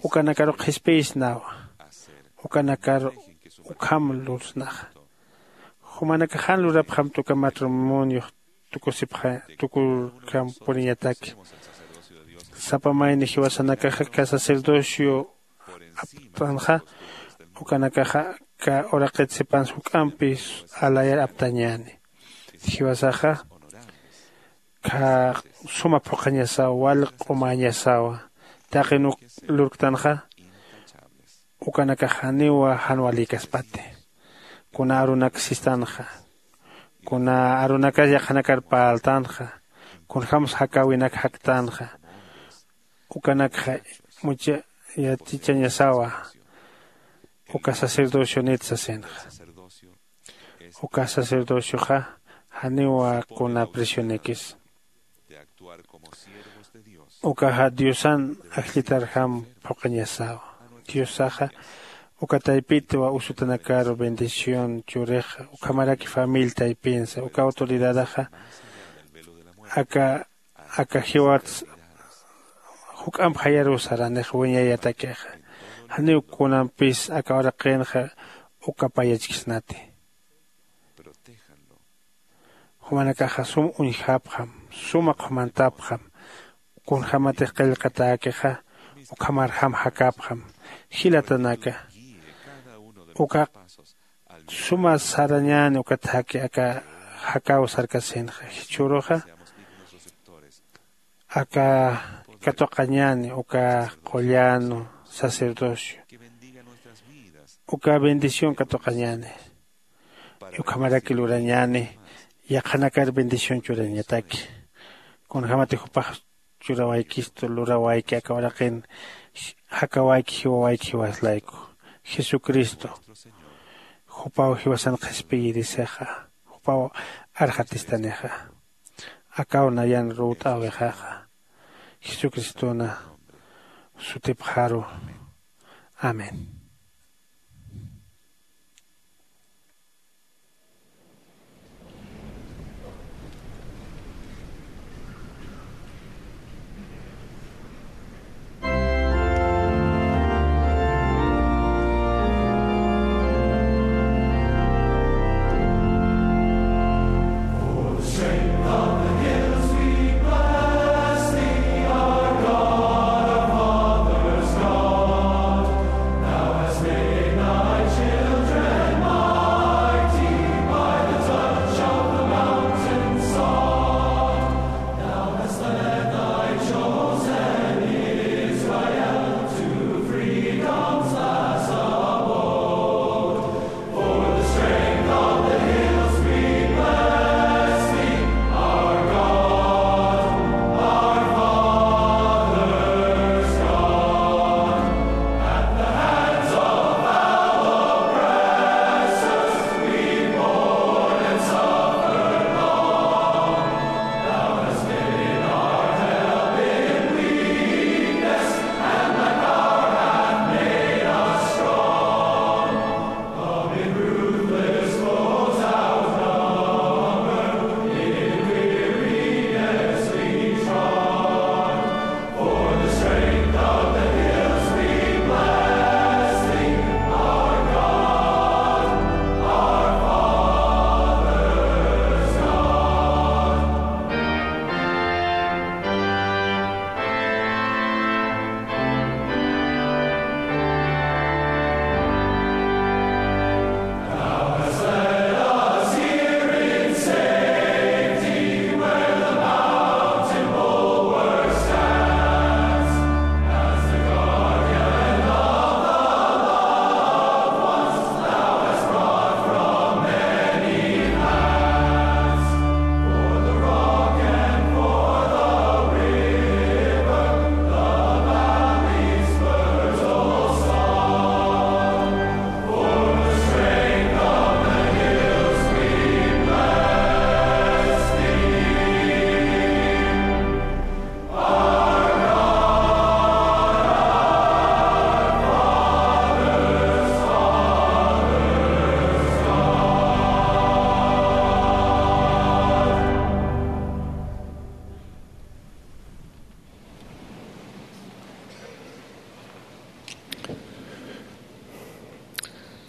ukanakaru qhispiyisnawa. Ukanakaru ukham lursnaxa. Jumanakax jan lurapxamta uka matrimoniox tukusipxa tukurkam puriñataki. Sapa mayni jiwasanakaxa aka sacerdocio aptanxa ukanakaxa aka uraqit sipansa juk'ampi alayar aptañäni. Jiwasaxa kha suma phuqhañasawa wal q'umäñasawa. Taqi nuk lurktanxa ukanakax janiwa jan walïkaspati. Kuna arunak sistanxa kuna arunakas yaqhanakar parltanxa, kunjämsa jakäwinak jaktanxa, ukanakxa mucha yatichañasawa uka sacerdocionit sasinxa. Uka sacerdocioxa janiwa kuna presionikis. Ukaxa diosan ajllitarjam phuqhañasawa. Diosaxa uka taypitwa usutanakaru bendición churixa ukhamaraki familia taypinsa uka autoridadaxa aka aka jiwats juk'amp jayaruw saranix wiñayatakixa. Janiw kunampis aka uraqinxa uka payachkisnati. Jumanakaxa sum uñjapxam, suma qhumantapxam. Kunjämatix qillqatäkixa ukhamarjam jakapxam. Jilatanaka, uka suma sarañäni ukat jaki aka jakäw sarkasinxa jichhüruxa aka katuqañäni uka qullan sacerdocio, uka bendición katuqañäni. Ukhamaraki lurañäni yaqhanakar bendición churañataki. Kunjämati jupax churawaykistu lurawayki aka uraqin jakawayki jiwawayki jiwas layku. Jesucristo jupaw jiwasan qhispiyirisixa, jupaw arxatistanixa. Akaw nayan ruwt'äwixaxa jesucristona sutipxaru. Amén.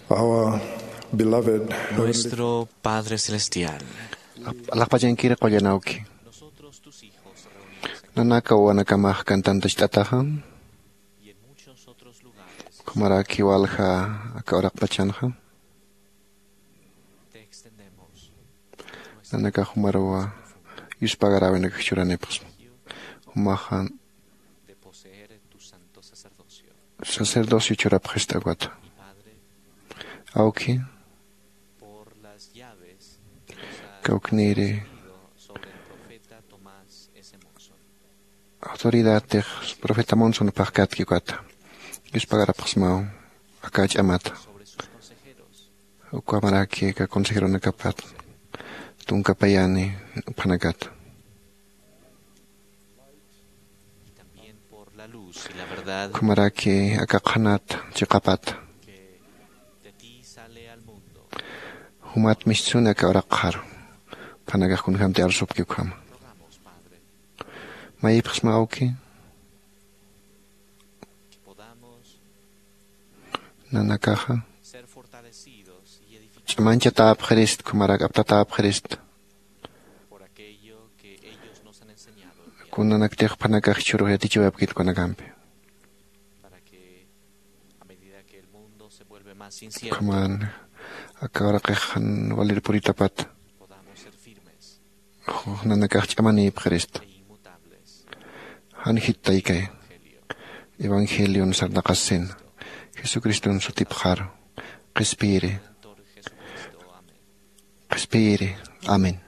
Our beloved Heavenly Nuestro Padre Celestial. Alaxpachankir qullan awki. Nanaka wawanakamax cantantachit'ataxa. Ukhamaraki walja aka uraqpachanxa. Nanakax jumaruwa yuspagaräwinakax churanipxsma. Jumaxa sacerdocio churapxist'awata. Awki, Kawkniri autoridadtix profeta Monson pajkatki ukata. Yuspagarapxsmaw aka ch'amata. Ukamaraki aka consejeronakapat tunkapayani uphanakata. Ukhamaraki aka qhanat chiqapat jumat mistsuni aka uraqxaru. Phanakax kunjämti arsupki ukhama. Mayipxsma awki nanakaxa ch'amanchatäpxirist ukhamarak aptatäpxirist. Kunanaktix phanakax jichhürux yatichiwayapkit ukanakampi. Ukhaman aka uraqix jan walir puritapat nanakax ch'amanïpxirista. Jan jittaykay evangelion sarnaqasin jesucriston sutipxaru. Qhispiyiri qhispiyiri. Amén.